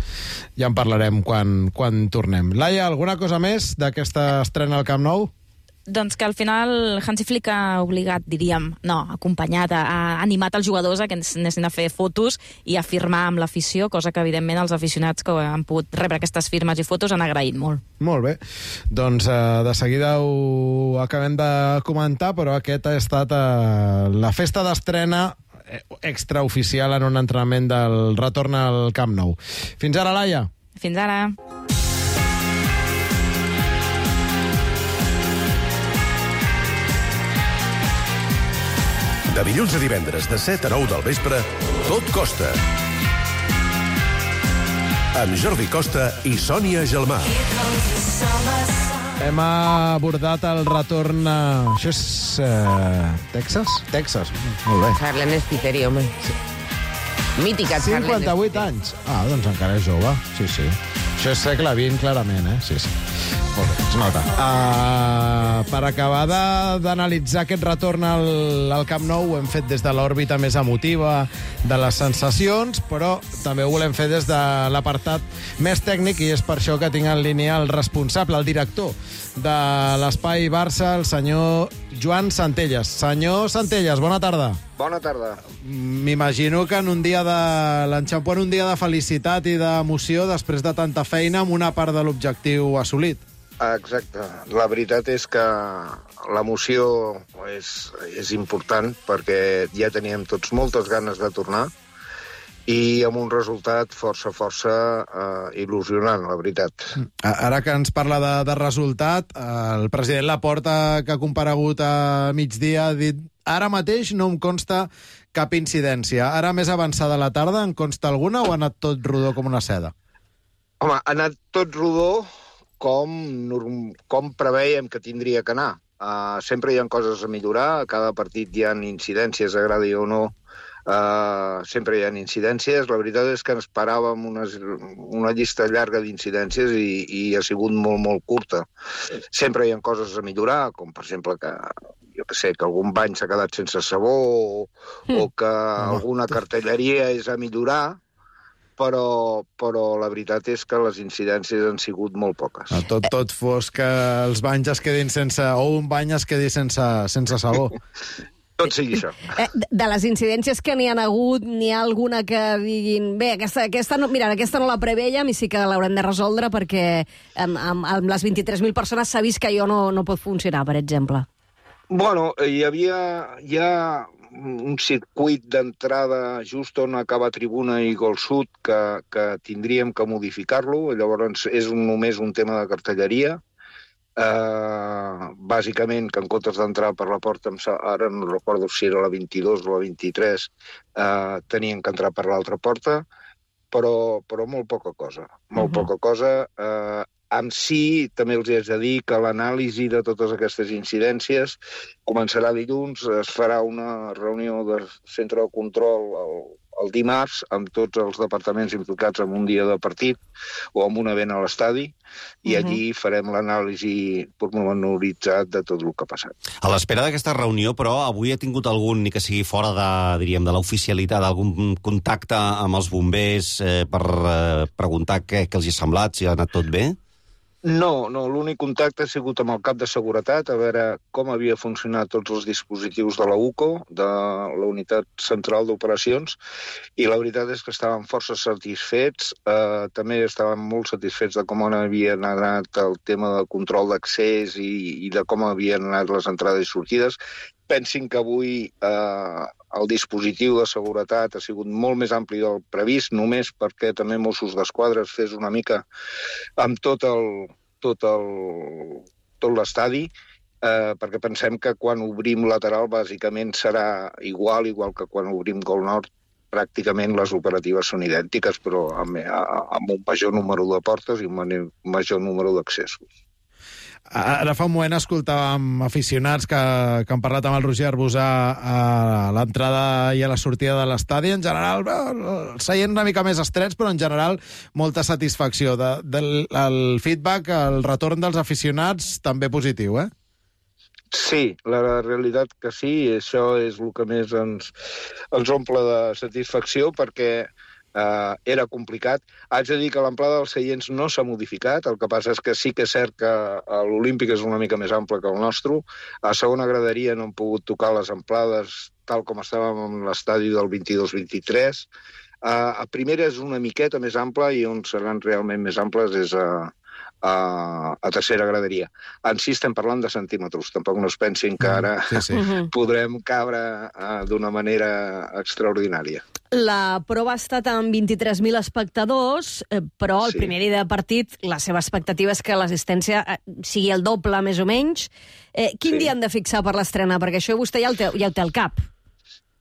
en parlarem quan tornem. Laia, alguna cosa més d'aquesta estrena al Camp Nou? Doncs que al final Hansi Flick ha obligat, diríem, acompanyat, ha animat els jugadors a que anessin a fer fotos i a firmar amb l'afició, cosa que evidentment els aficionats que han pogut rebre aquestes firmes i fotos han agraït molt. Molt bé. Doncs de seguida ho acabem de comentar, però aquest ha estat la festa d'estrena extraoficial en un entrenament del retorn al Camp Nou. Fins ara, Laia. Fins ara. De dilluns a divendres, de 7 a 9 del vespre, Tot Costa. Amb Jordi Costa i Sònia Gelmà. Hem abordat el retorn... Això és... Texas? Texas, molt bé. Harlan Spiteri, home. Mítica Harlan. 58 anys. Doncs encara és jove. Sí. Això és segle XX, clarament, Sí. Molt bé, es nota. Per acabar d'analitzar aquest retorn al Camp Nou, ho hem fet des de l'òrbita més emotiva de les sensacions, però també ho volem fer des de l'apartat més tècnic, i és per això que tinc en línia el responsable, el director de l'Espai Barça, el senyor Joan Centelles. Senyor Centelles, bona tarda. Bona tarda. M'imagino que en un dia de l'enxampo, en un dia de felicitat i d'emoció, després de tanta feina, amb una part de l'objectiu assolit. Exacte. La veritat és que l'emoció és important, perquè ja teníem tots moltes ganes de tornar i amb un resultat força il·lusionant, la veritat. Ara que ens parla de resultat, el president Laporta, que ha comparegut a migdia, ha dit: ara mateix no em consta cap incidència. Ara, més avançada la tarda, en consta alguna o ha anat tot rodó com una seda? Home, ha anat tot rodó com preveiem que tindria que anar. Sempre hi ha coses a millorar, a cada partit hi ha incidències, agradi o no, sempre hi ha incidències. La veritat és que esperàvem una llista llarga d'incidències i ha sigut molt curta. Sempre hi ha coses a millorar, com per exemple que algun bany s'ha quedat sense sabó o que alguna cartelleria és a millorar, però la veritat és que les incidències han sigut molt poques. Tot fos que els banys es quedin sense... o un bany es quedi sense sabó. Tot sigui això. De les incidències que n'hi ha hagut, n'hi ha alguna que diguin... Bé, aquesta no la preveiem i sí que l'haurem de resoldre, perquè amb les 23.000 persones s'ha vist que allò no pot funcionar, per exemple. Bueno, hi ha un circuit d'entrada just on acaba Tribuna i Gol Sud que tindríem que modificar-lo. Llavors és només un tema de cartelleria. Bàsicament, que en comptes d'entrar per la porta, ara no recordo si era la 22 o la 23, tenien que entrar per l'altra porta, però molt poca cosa. Molt poca cosa. Amb si, també els haig de dir que l'anàlisi de totes aquestes incidències començarà dilluns, es farà una reunió del centre de control el dimarts amb tots els departaments implicats en un dia de partit o en un event a l'estadi, i allí farem l'anàlisi pormenoritzat de tot el que ha passat. A l'espera d'aquesta reunió, però, avui ha tingut algun, ni que sigui fora de l'oficialitat, algun contacte amb els bombers per preguntar què els hi ha semblat, si ha anat tot bé? No, l'únic contacte ha sigut amb el cap de seguretat, a veure com havia funcionat tots els dispositius de la UCO, de la Unitat Central d'Operacions, i la veritat és que estàvem força satisfets. També estàvem molt satisfets de com havien anat el tema de control d'accés i de com havien anat les entrades i sortides. Pensin que avui el dispositiu de seguretat ha sigut molt més ampli del previst, només perquè també Mossos d'Esquadra es fes una mica amb tot l'estadi, perquè pensem que quan obrim lateral bàsicament serà igual que quan obrim Gol Nord. Pràcticament les operatives són idèntiques, però amb un major número de portes i un major número d'accessos. Ara fa un moment escoltàvem aficionats que han parlat amb el Roger Arbusà a l'entrada i a la sortida de l'estadi. En general, seient una mica més estrets, però en general molta satisfacció. El feedback, el retorn dels aficionats, també positiu, Sí, la realitat que sí, això és el que més ens omple de satisfacció, perquè era complicat. Haig de dir que l'amplada dels seients no s'ha modificat, el que passa és que sí que és cert que l'Olímpic és una mica més ample que el nostre. A segona graderia no hem pogut tocar les amplades tal com estàvem en l'estadi del 22-23. A primera és una miqueta més ampla i on seran realment més amples és a tercera graderia. En sí estem parlant de centímetres, tampoc no es pensin que ara podrem cabre d'una manera extraordinària. La prova ha estat amb 23.000 espectadors, però el primer dia de partit la seva expectativa és que l'assistència sigui el doble, més o menys. Quin dia han de fixar per l'estrena? Perquè això vostè ja ho té al cap.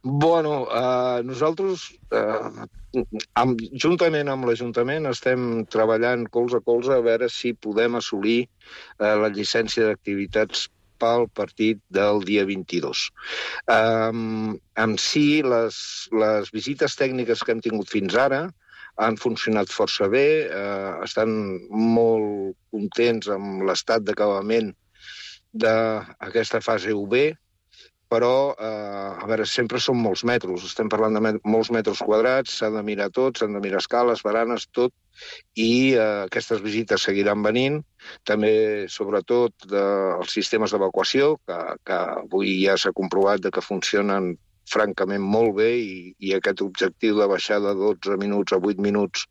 Bueno, nosaltres, juntament amb l'Ajuntament, estem treballant colze a colze a veure si podem assolir la llicència d'activitats pel partit del dia 22. En si, les visites tècniques que hem tingut fins ara han funcionat força bé, estan molt contents amb l'estat d'acabament d'aquesta fase UB, però, a veure, sempre són molts metres. Estem parlant de molts metres quadrats, s'ha de mirar tot, s'han de mirar escales, baranes, tot, i aquestes visites seguiran venint. També, sobretot, dels sistemes d'evacuació, que avui ja s'ha comprovat que funcionen francament molt bé i aquest objectiu de baixar de 12 minuts a 8 minuts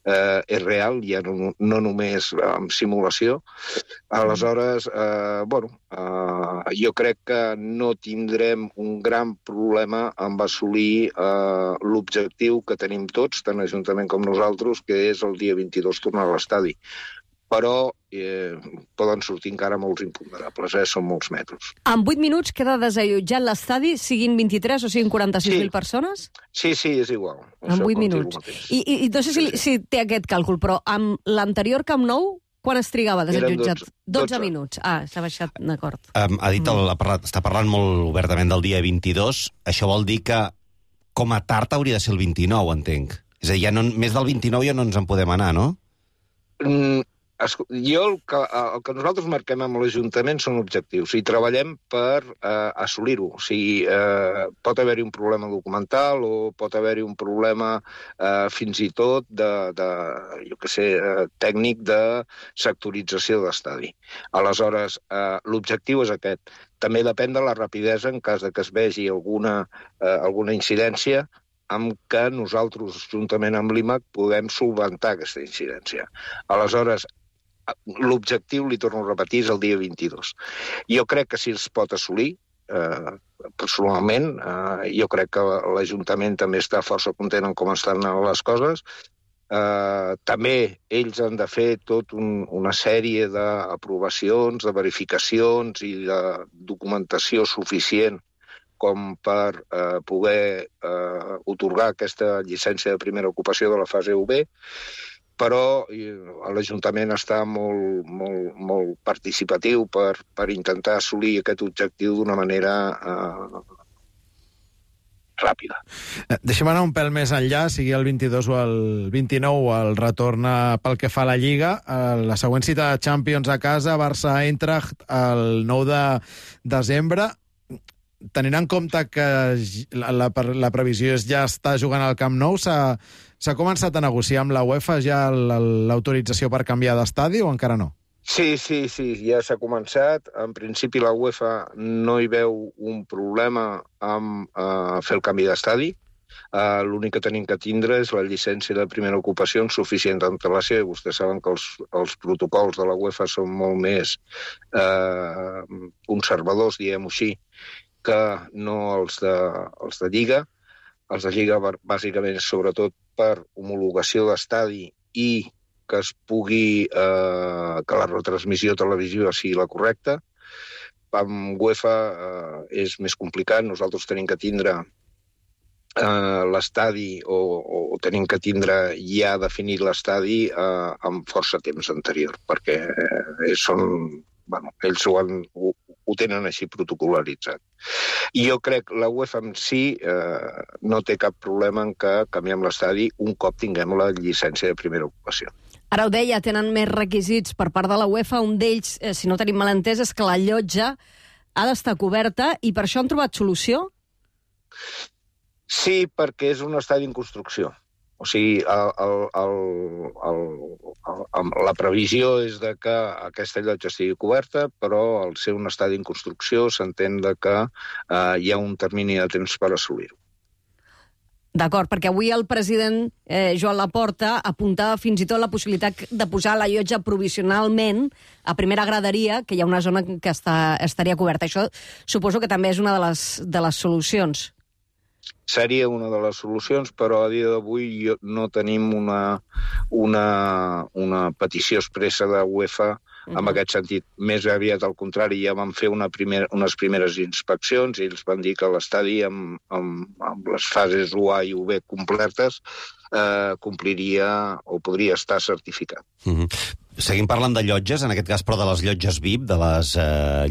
és real, ja no només amb simulació. Aleshores, jo crec que no tindrem un gran problema amb assolir l'objectiu que tenim tots, tant l'Ajuntament com nosaltres, que és el dia 22 tornar a l'estadi. Però poden sortir encara molts imponderables, són molts metres. En 8 minuts queda desallotjat l'estadi, siguin 23 o siguin 46.000 persones? Sí, és igual. En 8 minuts. I no sé si té aquest càlcul, però amb l'anterior Camp Nou, quan es trigava desallotjat? 12 minuts. S'ha baixat, d'acord. Ha dit, està parlant molt obertament del dia 22. Això vol dir que, com a tard, hauria de ser el 29, entenc. És a dir, més del 29 ja no ens en podem anar, no? Jo el que nosaltres marquem amb l'Ajuntament són objectius i treballem per assolir-ho. O sigui, pot haver-hi un problema documental o pot haver-hi un problema fins i tot tècnic de sectorització d'estadi. Aleshores, l'objectiu és aquest. També depèn de la rapidesa en cas que es vegi alguna incidència amb què nosaltres, juntament amb l'IMAC, podem solventar aquesta incidència. Aleshores, l'objectiu, li torno a repetir, és el dia 22. Jo crec que si es pot assolir, personalment, jo crec que l'Ajuntament també està força content en com estan les coses. També ells han de fer tota una sèrie d'aprovacions, de verificacions i de documentació suficient com per poder atorgar aquesta llicència de primera ocupació de la fase UB, però l'Ajuntament està molt participatiu per intentar assolir aquest objectiu d'una manera ràpida. Deixem anar un pèl més enllà, sigui el 22 o el 29, el retorn pel que fa a la Lliga. La següent cita de Champions a casa, Barça-Eintracht, el 9 de desembre. Tenint en compte que la previsió és ja estar jugant al Camp Nou, s'ha començat a negociar amb la UEFA ja l'autorització per canviar d'estadi o encara no? Sí, ja s'ha començat. En principi la UEFA no hi veu un problema amb fer el canvi d'estadi. L'únic que tenim que tindre és la llicència de primera ocupació en suficient antelació, i vostès saben que els protocols de la UEFA són molt més conservadors, diguem-ho així, que no els de Lliga. Els de Lliga, bàsicament, sobretot per homologació d'estadi i que es pugui que la retransmissió televisiva sigui la correcta. Amb UEFA és més complicat. Nosaltres tenim que tindre l'estadi o tenim que tindre ja definit l'estadi amb força temps anterior, perquè ells ho tenen així protocolaritzat. I jo crec que la UEFA en si no té cap problema en que canviem l'estadi un cop tinguem la llicència de primera ocupació. Ara ho deia, tenen més requisits per part de la UEFA. Un d'ells, si no tenim malentès, és que la llotja ha d'estar coberta i per això han trobat solució? Sí, perquè és un estadi en construcció. O sigui, la previsió és de que aquesta llotja estigui coberta, però al ser un estadi en construcció s'entén que hi ha un termini de temps per assolir-ho. D'acord, perquè avui el president Joan Laporta apuntava fins i tot la possibilitat de posar la llotja provisionalment a primera graderia, que hi ha una zona que estaria coberta. Això suposo que també és una de les solucions. Seria una de les solucions, però a dia d'avui no tenim una petició expressa de UEFA en aquest sentit. Més aviat al contrari, ja van fer unes primeres inspeccions i ells van dir que l'estadi amb les fases UA i UB completes compliria o podria estar certificat. Seguim parlant de llotges, en aquest cas, però de les llotges VIP, de les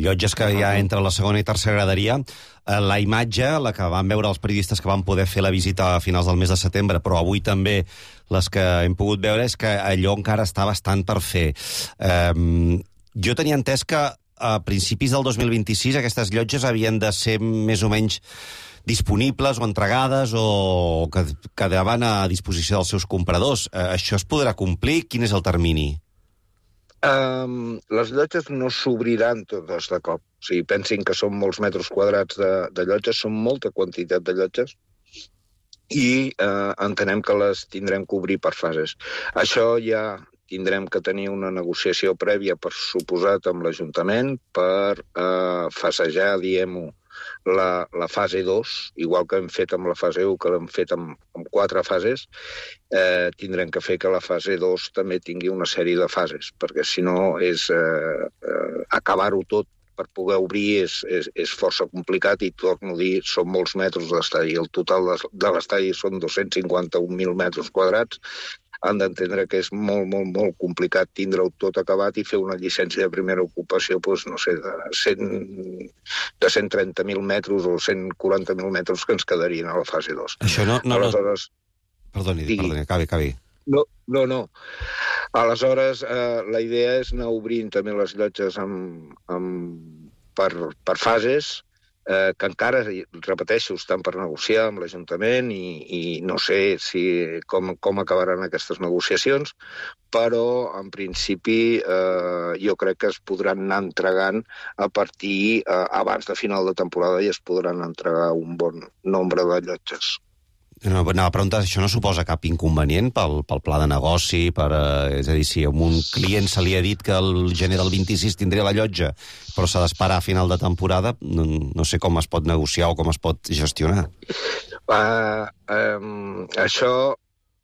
llotges que hi ha entre la segona i tercera graderia. La imatge, la que van veure els periodistes que van poder fer la visita a finals del mes de setembre, però avui també les que hem pogut veure, és que allò encara està bastant per fer. Jo tenia entès que a principis del 2026 aquestes llotges havien de ser més o menys disponibles o entregades o que quedaven a disposició dels seus compradors. Això es podrà complir? Quin és el termini? Les llotges no s'obriran totes de cop. O sigui, pensin que són molts metres quadrats de llotges, són molta quantitat de llotges i entenem que les tindrem que obrir per fases. Això ja tindrem que tenir una negociació prèvia, per suposat, amb l'Ajuntament per fasejar, diguem-ho, la fase 2, igual que hem fet amb la fase 1, que l'hem fet amb 4 fases, tindrem que fer que la fase 2 també tingui una sèrie de fases, perquè si no és acabar-ho tot per poder obrir és força complicat i, torno a dir, són molts metres d'estadi. El total de l'estadi són 251.000 metres quadrats. Han d'entendre que és molt, molt, molt complicat tindre-ho tot acabat i fer una llicència de primera ocupació, doncs, no sé, de 130.000 metres o 140.000 metres que ens quedarien a la fase 2. Això no... Aleshores... Perdoni, acabi. No. Aleshores, la idea és anar obrint també les llotges per fases, que encara, repeteixo, estan per negociar amb l'Ajuntament i no sé com acabaran aquestes negociacions, però en principi jo crec que es podran anar entregant a partir abans de final de temporada i es podran entregar un bon nombre de llotges. Anava a preguntar, això no suposa cap inconvenient pel pla de negoci, és a dir, si a un client se li ha dit que el gener del 26 tindria la llotja, però s'ha d'esperar a final de temporada, no sé com es pot negociar o com es pot gestionar. Això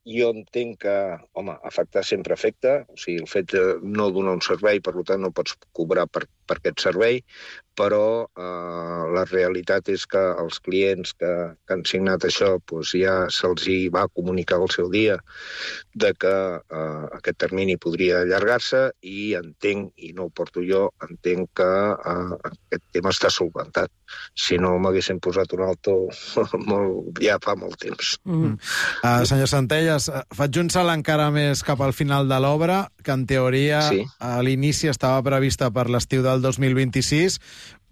jo entenc que, home, afectar sempre afecta, o sigui, el fet de no donar un servei, per tant no pots cobrar per aquest servei, però la realitat és que els clients que han signat això ja se'ls va comunicar al seu dia de que aquest termini podria allargar-se i entenc, i no ho porto jo, entenc que aquest tema està solventat. Si no m'haguessin posat un alto ja fa molt temps. Senyor Centelles, faig un salt encara més cap al final de l'obra, que en teoria a l'inici estava prevista per l'estiu del 2026,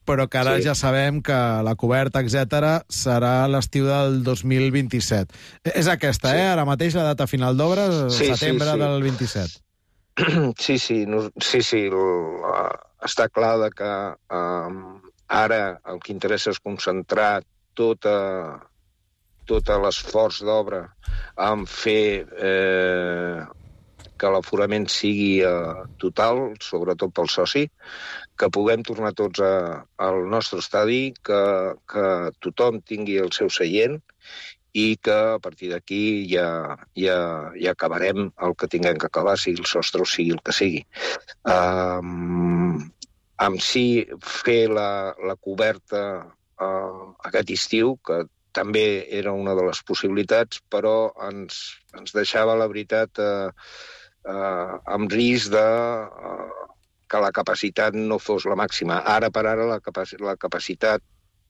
però que ara ja sabem que la coberta, etc., serà l'estiu del 2027. És aquesta, ara mateix, la data final d'obra, setembre del 27. Sí. Està clar que ara el que interessa és concentrar tot l'esforç d'obra en fer que l'aforament sigui total, sobretot pel soci, que puguem tornar tots al nostre estadi, que tothom tingui el seu seient i que a partir d'aquí ja acabarem el que tinguem que acabar, sigui el sostre o sigui el que sigui. Amb si fer la coberta aquest estiu, que també era una de les possibilitats, però ens deixava, la veritat, amb risc de que la capacitat no fos la màxima. Ara per ara la capacitat,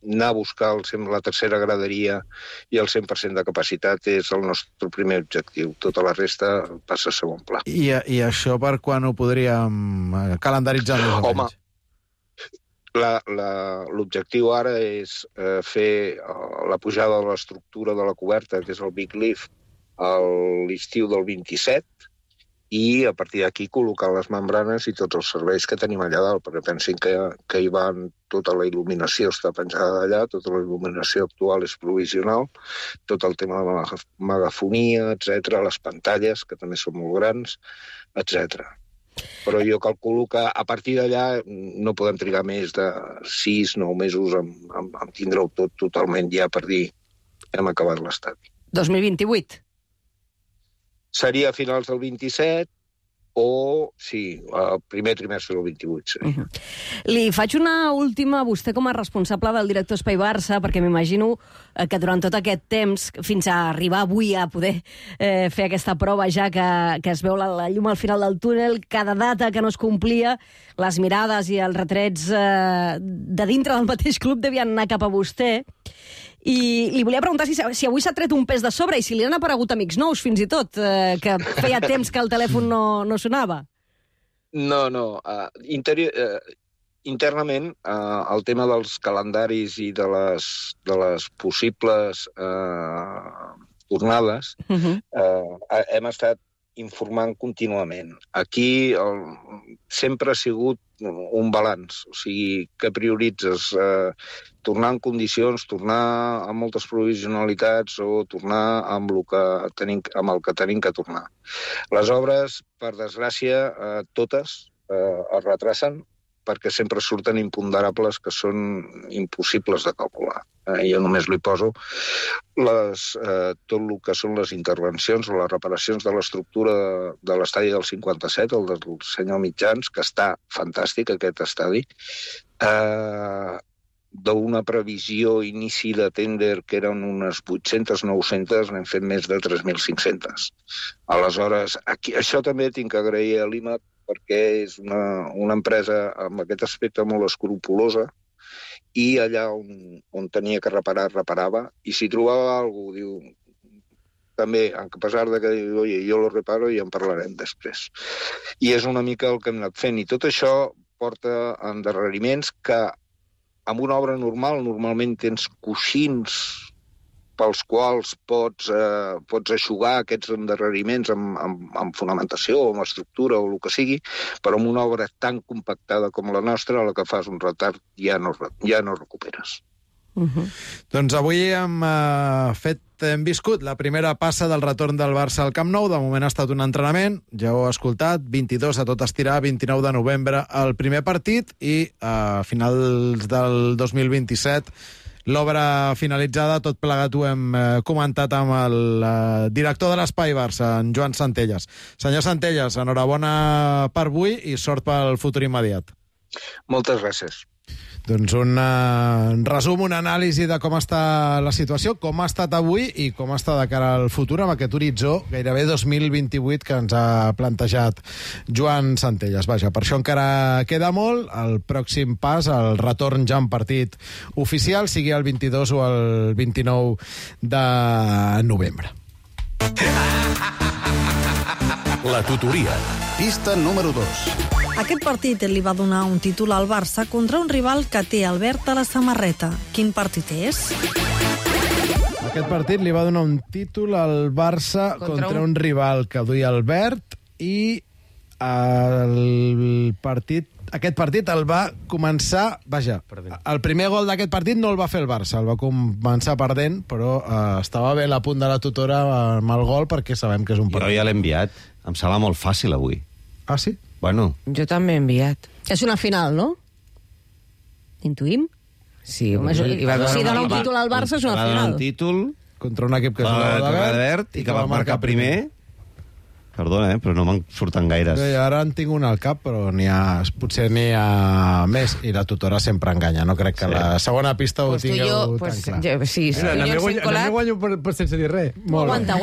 anar a buscar la tercera graderia i el 100% de capacitat és el nostre primer objectiu. Tota la resta passa a segon pla. I això per quan ho podríem calendaritzar més o menys? L'objectiu ara és fer la pujada de l'estructura de la coberta, que és el Big Lift, a l'estiu del 27 i a partir d'aquí col·locar les membranes i tots els serveis que tenim allà dalt, perquè pensin que hi van tota la il·luminació està penjada d'allà, tota la il·luminació actual és provisional, tot el tema de la megafonia, etc, les pantalles, que també són molt grans, etc. Però jo calculo que a partir d'allà no podem trigar més de 6-9 mesos en tindre-ho tot totalment ja per dir hem acabat l'estadi. 2028? Seria a finals del 27 o, sí, el primer trimestre del 28. Sí. Li faig una última a vostè com a responsable del director Espai Barça, perquè m'imagino que durant tot aquest temps, fins a arribar avui a poder fer aquesta prova ja que es veu la llum al final del túnel, cada data que no es complia, les mirades i els retrets de dintre del mateix club devien anar cap a vostè. I li volia preguntar si avui s'ha tret un pes de sobre i si li han aparegut amics nous, fins i tot, que feia temps que el telèfon no sonava. No. Internament, el tema dels calendaris i de les possibles tornades hem estat informant contínuament. Aquí sempre ha sigut un balanç, o sigui, que prioritzes tornar en condicions, tornar amb moltes provisionalitats o tornar amb el que tenim que tornar. Les obres, per desgràcia, totes es retracen perquè sempre surten imponderables que són impossibles de calcular. Jo només li poso tot el que són les intervencions o les reparacions de l'estructura de l'estadi del 57, el del senyor Mitjans, que està fantàstic, aquest estadi, d'una previsió inici de tender que eren unes 800-900, n'hem fet més de 3.500. Aleshores, això també tinc que agrair a l'IMAT perquè és una empresa amb aquest aspecte molt escrupulosa i allà on tenia que reparar, reparava, i si trobava alguna cosa, diu, també, a pesar de que diu, oye, jo lo reparo i en parlarem després. I és una mica el que hem anat fent, i tot això porta endarreriments que amb una obra normal, normalment tens coixins pels quals pots eixugar aquests endarreriments amb fonamentació o amb estructura o el que sigui, però amb una obra tan compactada com la nostra, a la que fas un retard ja no recuperes. Doncs avui hem viscut la primera passa del retorn del Barça al Camp Nou. De moment ha estat un entrenament, ja ho heu escoltat, 22 a tot estirar, 29 de novembre el primer partit i a finals del 2027 l'obra finalitzada. Tot plegat ho hem comentat amb el director de l'Espai Barça, en Joan Centelles. Senyor Centelles, enhorabona per avui i sort pel futur immediat. Moltes gràcies. Doncs un resum, una anàlisi de com està la situació, com ha estat avui i com està de cara al futur amb aquest horitzó gairebé 2028 que ens ha plantejat Joan Centelles. Vaja, per això encara queda molt. El pròxim pas, el retorn ja en partit oficial, sigui el 22 o el 29 de novembre. La tutoria. Pista número 2. Aquest partit li va donar un títol al Barça contra un rival que té Albert a la samarreta. Quin partit és? Aquest partit li va donar un títol al Barça contra un rival que duia Albert i aquest partit el va començar... Vaja, el primer gol d'aquest partit no el va fer el Barça, el va començar perdent, però estava bé a punt de la tutora amb el gol perquè sabem que és un partit. Jo ja l'he enviat. Em sembla molt fàcil avui. Ah, sí? Bueno. Jo també he enviat. És una final, no? Intuïm? Sí. Si dona un títol al Barça és una final. Va donar un títol contra un equip que jugava d'Albert i que va marcar primer. Perdona, però no me'n surten gaires. Bé, ara en tinc un al cap, però potser n'hi ha més, i la tutora sempre enganya. No crec que la segona pista ho tingueu tan clar. Sí, També guanyo per sense dir res. Aguanta,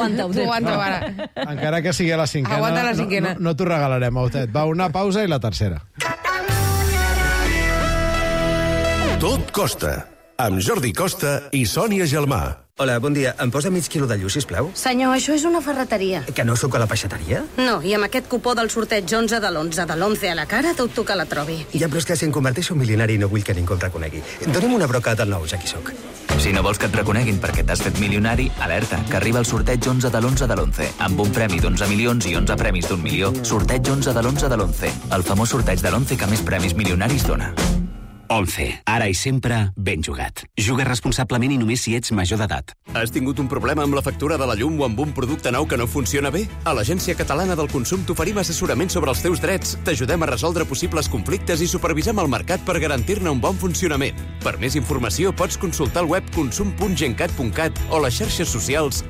ara. Encara que sigui a la cinquena. Aguanta la cinquena. No t'ho regalarem, Autet. Va, una pausa i la tercera. Tot costa, amb Jordi Costa i Sònia Gelmà. Hola, bon dia. Em posa mig quilo de lluç, sisplau? Senyor, això és una ferreteria. Que no sóc a la peixateria? No, i amb aquest cupó del sorteig 11 de l'11 de l'11 a la cara, dubto que la trobi. Ja, però és que si em converteixo en milionari no vull que ningú em reconegui. Doni'm una broca del nou, ja qui sóc. Si no vols que et reconeguin perquè t'has fet milionari, alerta, que arriba el sorteig 11 de l'11 de l'11, amb un premi d'11 milions i 11 premis d'1 milió. Sorteig 11 de l'11 de l'11, el famós sorteig de l'11 que més premis milionaris dona. 11. Ara i sempre, ben jugat. Juga responsablement i només si ets major d'edat. Has tingut un problema amb la factura de la llum o amb un producte nou que no funciona bé? A l'Agència Catalana del Consum t'oferim assessorament sobre els teus drets, t'ajudem a resoldre possibles conflictes i supervisem el mercat per garantir-ne un bon funcionament. Per més informació pots consultar el web consum.gencat.cat o les xarxes socials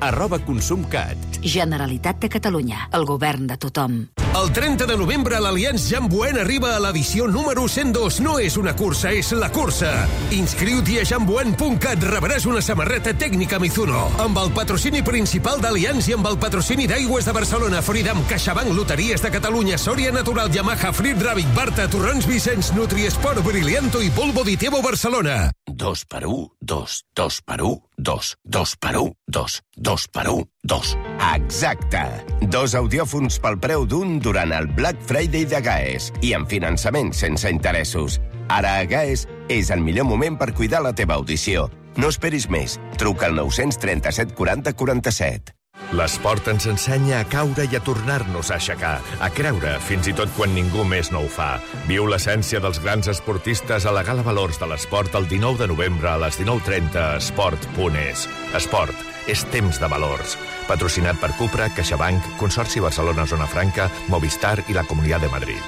@consumcat. Generalitat de Catalunya, el govern de tothom. El 30 de novembre l'Allianz Jean Buen arriba a l'edició número 102. No és una cursa, és la cursa. Inscriu-t'hi a jeanbuen.cat, rebràs una samarreta tècnica Mizuno. Amb el patrocini principal d'Allianz i amb el patrocini d'Aigües de Barcelona, Freedom, CaixaBank, Loteries de Catalunya, Sòria Natural, Yamaha, Frit Ravic, Barta, Torrons Vicenç, Nutriesport, Brillianto i Polvo Ditebo Barcelona. 2 per 1, 2, 2 per 1, 2, 2 per 1, 2, 2 per 1, 2. Exacte. 2 audiòfons pel preu d'un durant el Black Friday de GAES i amb finançament sense interessos. Ara a GAES és el millor moment per cuidar la teva audició. No esperis més. Truca al 937 40 47. L'esport ens ensenya a caure i a tornar-nos a aixecar, a creure fins i tot quan ningú més no ho fa. Viu l'essència dels grans esportistes a la Gala Valors de l'Esport el 19 de novembre a les 19:30 a esport.es. Esport és temps de valors. Patrocinat per Cupra, CaixaBank, Consorci Barcelona Zona Franca, Movistar i la Comunitat de Madrid.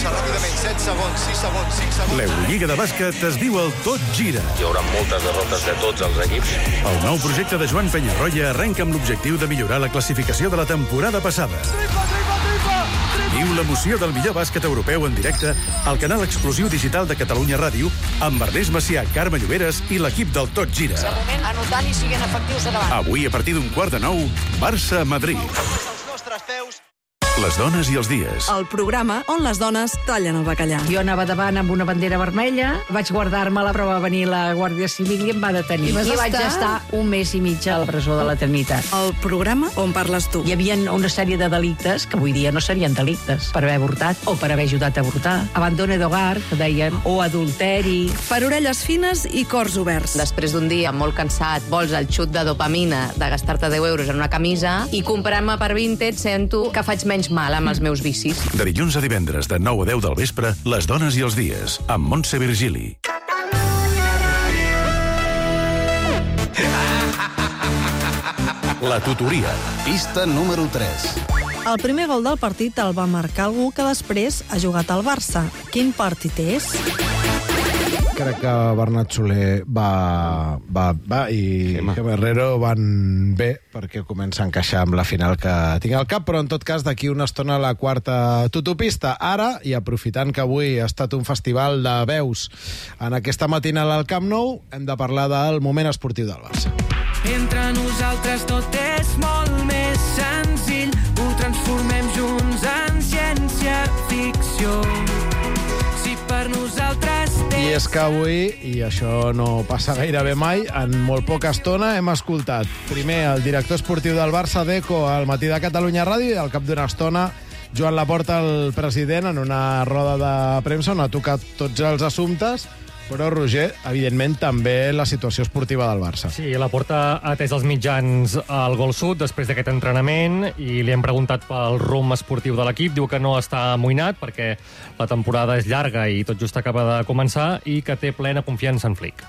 Ràpidament, 7 segons, 6 segons, 5 segons. L'Eurolliga de bàsquet es viu al Tot Gira. Hi haurà moltes derrotes de tots els equips. El nou projecte de Joan Penyarroia arrenca amb l'objectiu de millorar la classificació de la temporada passada. Viu l'emoció del millor bàsquet europeu en directe al canal exclusiu digital de Catalunya Ràdio amb Ernest Macià, Carme Lloberes i l'equip del Tot Gira. Anotant i siguent efectius a davant. Avui, a partir d'un 8:45, Barça-Madrid. Les dones i els dies. El programa on les dones tallen el bacallà. Jo anava davant amb una bandera vermella, vaig guardar-me-la, però va venir la Guàrdia Civil i em va detenir. I vaig estar un mes i mig a la presó de la Trinitat. El programa on parles tu. Hi havia una sèrie de delictes que avui dia no serien delictes, per haver avortat o per haver ajudat a avortar. Abandone d'hogar, que deien, o adulteri. Per orelles fines i cors oberts. Després d'un dia molt cansat, vols el xut de dopamina de gastar-te 10 euros en una camisa i comprar-me per Vinted sento que faig menys mal amb els meus vicis. De dilluns a divendres, de 9 a 10 del vespre, Les dones i els dies, amb Montse Virgili. La tutoria, pista número 3. El primer gol del partit el va marcar algú que després ha jugat al Barça. Quin partit és? Crec que Bernat Soler va i Gemma Herrero van bé perquè comença a encaixar amb la final que tinc al cap, però en tot cas d'aquí una estona la quarta tutopista. Ara, i aprofitant que avui ha estat un festival de veus en aquesta matinal al Camp Nou, hem de parlar del moment esportiu del Barça. Entre nosaltres tot és molt més senzill, ho transformem junts en ciència-ficció. Si per nosaltres... I és que avui, i això no passa gairebé mai, en molt poca estona hem escoltat primer el director esportiu del Barça, Deco, al Matí de Catalunya Ràdio, i al cap d'una estona Joan Laporta, el president, en una roda de premsa on ha tocat tots els assumptes, però, Roger, evidentment, també la situació esportiva del Barça. Sí, Laporta ha atès els mitjans al Gol Sud després d'aquest entrenament i li hem preguntat pel rumb esportiu de l'equip. Diu que no està amoïnat perquè la temporada és llarga i tot just acaba de començar i que té plena confiança en Flick.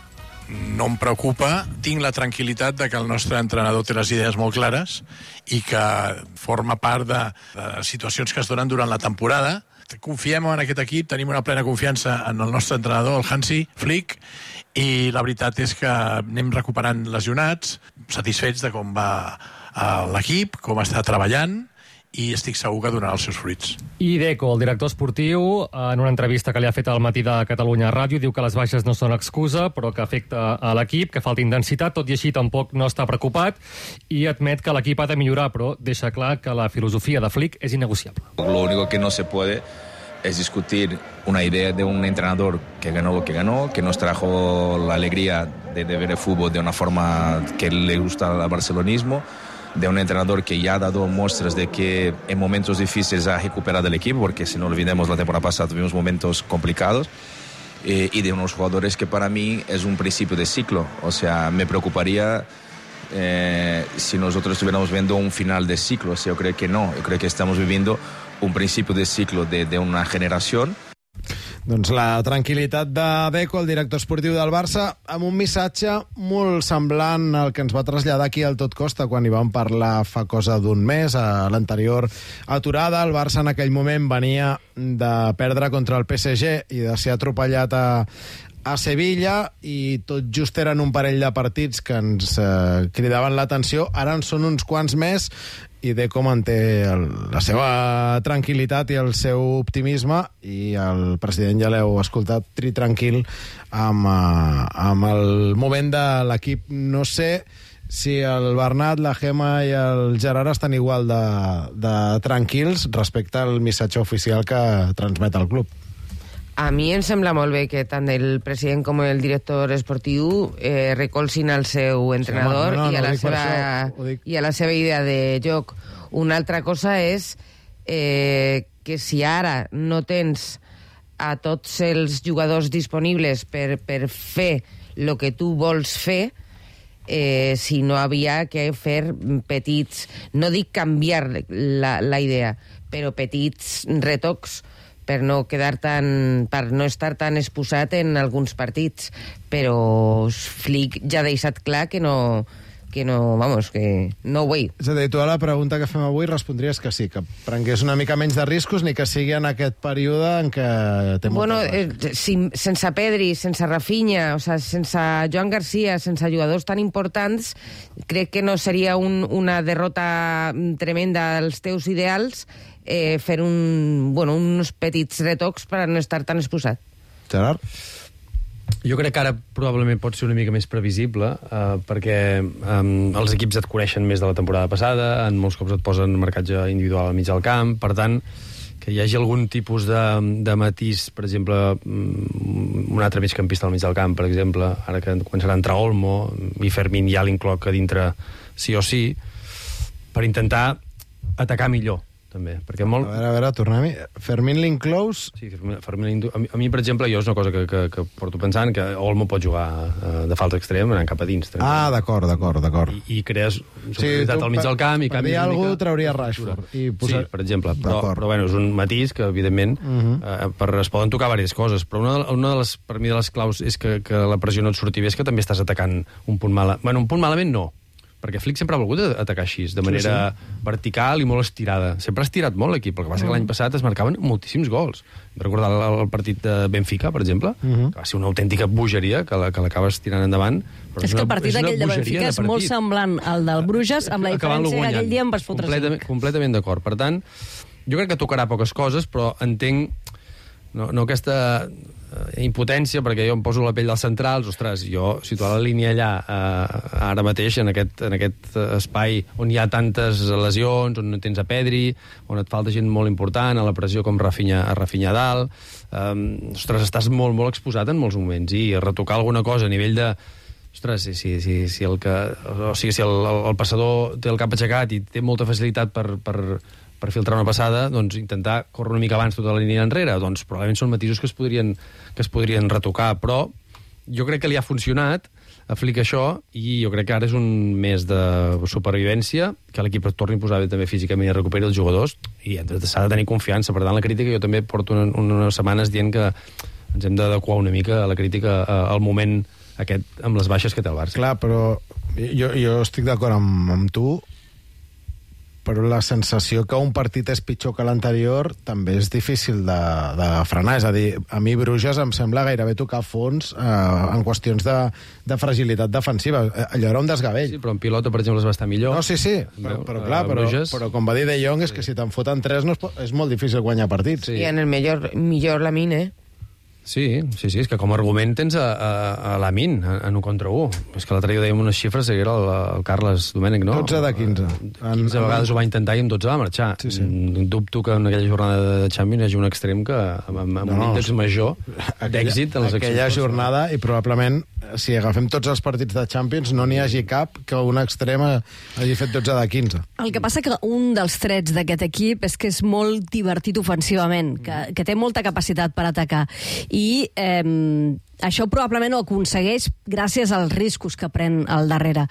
No em preocupa, tinc la tranquil·litat de que el nostre entrenador té les idees molt clares i que forma part de situacions que es donen durant la temporada. Confiem en aquest equip, tenim una plena confiança en el nostre entrenador, el Hansi Flick, i la veritat és que anem recuperant lesionats, satisfets de com va l'equip, com està treballant, i estic segur que donarà els seus fruits. I Deco, el director esportiu, en una entrevista que li ha fet al Matí de Catalunya Ràdio, diu que les baixes no són excusa, però que afecta a l'equip, que falta intensitat, tot i així tampoc no està preocupat, i admet que l'equip ha de millorar, però deixa clar que la filosofia de Flick és innegociable. Lo único que no se puede es discutir una idea de un entrenador que ganó lo que ganó, que nos trajo la alegría de ver el fútbol de una forma que le gusta al barcelonismo, de un entrenador que ya ha dado muestras de que en momentos difíciles ha recuperado el equipo, porque si no olvidemos la temporada pasada tuvimos momentos complicados, y de unos jugadores que para mí es un principio de ciclo. O sea, me preocuparía si nosotros estuviéramos viendo un final de ciclo. O sea, yo creo que no, yo creo que estamos viviendo un principio de ciclo de una generación. Doncs la tranquil·litat de Deco, el director esportiu del Barça, amb un missatge molt semblant al que ens va traslladar aquí al Tot Costa quan hi vam parlar fa cosa d'un mes, a l'anterior aturada. El Barça en aquell moment venia de perdre contra el PSG i de ser atropellat a Sevilla, i tot just eren un parell de partits que ens cridaven l'atenció. Ara en són uns quants més, i Deco manté la seva tranquil·litat i el seu optimisme, i el president, ja l'heu escoltat, tranquil amb el moment de l'equip. No sé si el Bernat, la Gemma i el Gerard estan igual de tranquils respecte al missatge oficial que transmet el club. A mi em sembla molt bé que tant el president com el director esportiu recolzin el seu entrenador i a la seva idea de joc. Una altra cosa és que si ara no tens a tots els jugadors disponibles per fer el que tu vols fer, si no havia que fer petits, no dic canviar la idea, però petits retocs per no estar tan exposat en alguns partits. Però Flick ja ha deixat clar que no way. És a dir, tu a la pregunta que fem avui respondries que sí, que prengués una mica menys de riscos, ni que sigui en aquest període en què té sense Pedri, sense Rafinha, o sea, sense Joan Garcia, sense jugadors tan importants, crec que no seria una derrota tremenda als teus ideals, fer uns petits retocs per no estar tan exposat. Gerard? Jo crec que ara probablement pot ser una mica més previsible, perquè els equips et coneixen més de la temporada passada, en molts cops et posen marcatge individual al mig del camp, per tant, que hi hagi algun tipus de matís, per exemple, un altre migcampista al mig del camp, per exemple, ara que començarà a entrar Olmo, i Fermín ja l'incloc a dintre sí o sí, per intentar atacar millor, també. Perquè molt... A veure, tornem-hi. Fermín l'inclous? Sí, Fermín, a mi, per exemple, jo és una cosa que porto pensant, que Olmo pot jugar de falta extrem anant cap a dins. D'acord. I crees superioritat al mig del camp i canvis una mica... Per dir alguna trauria Rashford. Sí, per exemple. Però bueno, és un matís que, evidentment, es poden tocar diverses coses. Però una de les, per mi, de les claus és que la pressió no et surti bé, és que també estàs atacant un punt malament. Bueno, un punt malament no, perquè Flick sempre ha volgut atacar així, de manera vertical i molt estirada. Sempre ha estirat molt l'equip, el que passa que l'any passat es marcaven moltíssims gols. Recordar el partit de Benfica, per exemple, que va ser una autèntica bogeria, que l'acabes tirant endavant. És que el partit aquell de Benfica és molt semblant al del Bruges, amb la diferència que aquell dia em vas fotre 5. Completament d'acord. Per tant, jo crec que tocarà poques coses, però entenc no aquesta impotència, perquè jo em poso la pell dels centrals, ostres, jo situar la línia allà ara mateix, en aquest espai on hi ha tantes lesions, on no tens a Pedri, on et falta gent molt important, a la pressió com Rafinha a dalt, ostres, estàs molt, molt exposat en molts moments, i retocar alguna cosa a nivell de... Ostres, si el passador té el cap aixecat i té molta facilitat per filtrar una passada, doncs intentar córrer una mica abans tota la línia enrere, doncs probablement són matisos que es podrien retocar, però jo crec que li ha funcionat a Flick això, i jo crec que ara és un mes de supervivència, que l'equip es torni a posar bé també físicament i recuperi els jugadors, i s'ha de tenir confiança. Per tant, la crítica, jo també porto unes setmanes dient que ens hem d'adequar una mica a la crítica al moment aquest, amb les baixes que té el Barça. Clar, però jo estic d'acord amb tu, però la sensació que un partit és pitjor que l'anterior també és difícil de frenar. És a dir, a mi Bruges em sembla gairebé tocar fons en qüestions de fragilitat defensiva. Allò era un desgavell. Sí, però en pilota, per exemple, es va estar millor. No, sí, però com va dir De Jong, és que si te'n foten 3 és molt difícil guanyar partits. Sí, en el millor Lamine, Sí, és que com a argument tens a Lamin, en 1 contra 1. És que l'altre dia dèiem unes xifres, era el Carles Domènech, no? 12 de 15. 15 vegades ho va intentar i amb 12 va marxar. Dubto que en aquella jornada de Champions hi hagi un extrem que amb un índex major d'èxit en les accions. Aquella jornada, i probablement, si agafem tots els partits de Champions, no n'hi hagi cap que un extrem hagi fet 12 de 15. El que passa que un dels trets d'aquest equip és que és molt divertit ofensivament, que té molta capacitat per atacar. I això probablement ho aconsegueix gràcies als riscos que pren al darrere.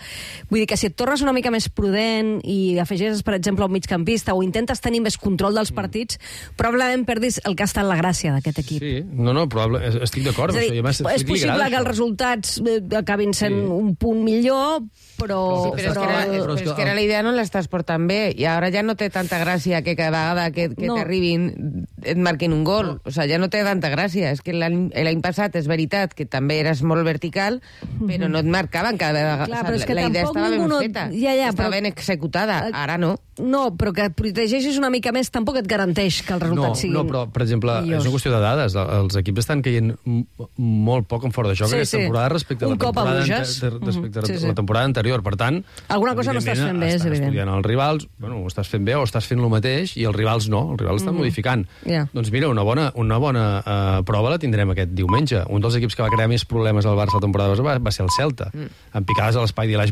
Vull dir que si et tornes una mica més prudent i afegeixes, per exemple, un migcampista o intentes tenir més control dels partits, probablement perdis el que ha estat la gràcia d'aquest equip. Sí, estic d'acord. És a dir, és possible que els resultats acabin sent un punt millor, però... Però és que era la idea, no l'estàs portant bé, i ara ja no té tanta gràcia que cada vegada que t'arribin et marquin un gol. O sigui, ja no té tanta gràcia. És que l'any passat és veritat que també eres molt vertical, però no et marcaven cada vegada. Clar, però és que la idea estava ben feta, estava ben executada, ara no. No, però que et protegeixis una mica més tampoc et garanteix que els resultats siguin millors. No, però, per exemple, és una qüestió de dades. Els equips estan caient molt poc en fora de joc aquesta temporada respecte a la temporada anterior. Per tant, alguna cosa no estàs fent bé, és evident. Estudiant els rivals, ho estàs fent bé o estàs fent el mateix, i els rivals no, els rivals estan modificant. Doncs mira, una bona prova la tindrem aquest diumenge. Un dels equips que va crear més problemes al Barça la temporada va ser el Celta, amb picades a l'espai d'Ilai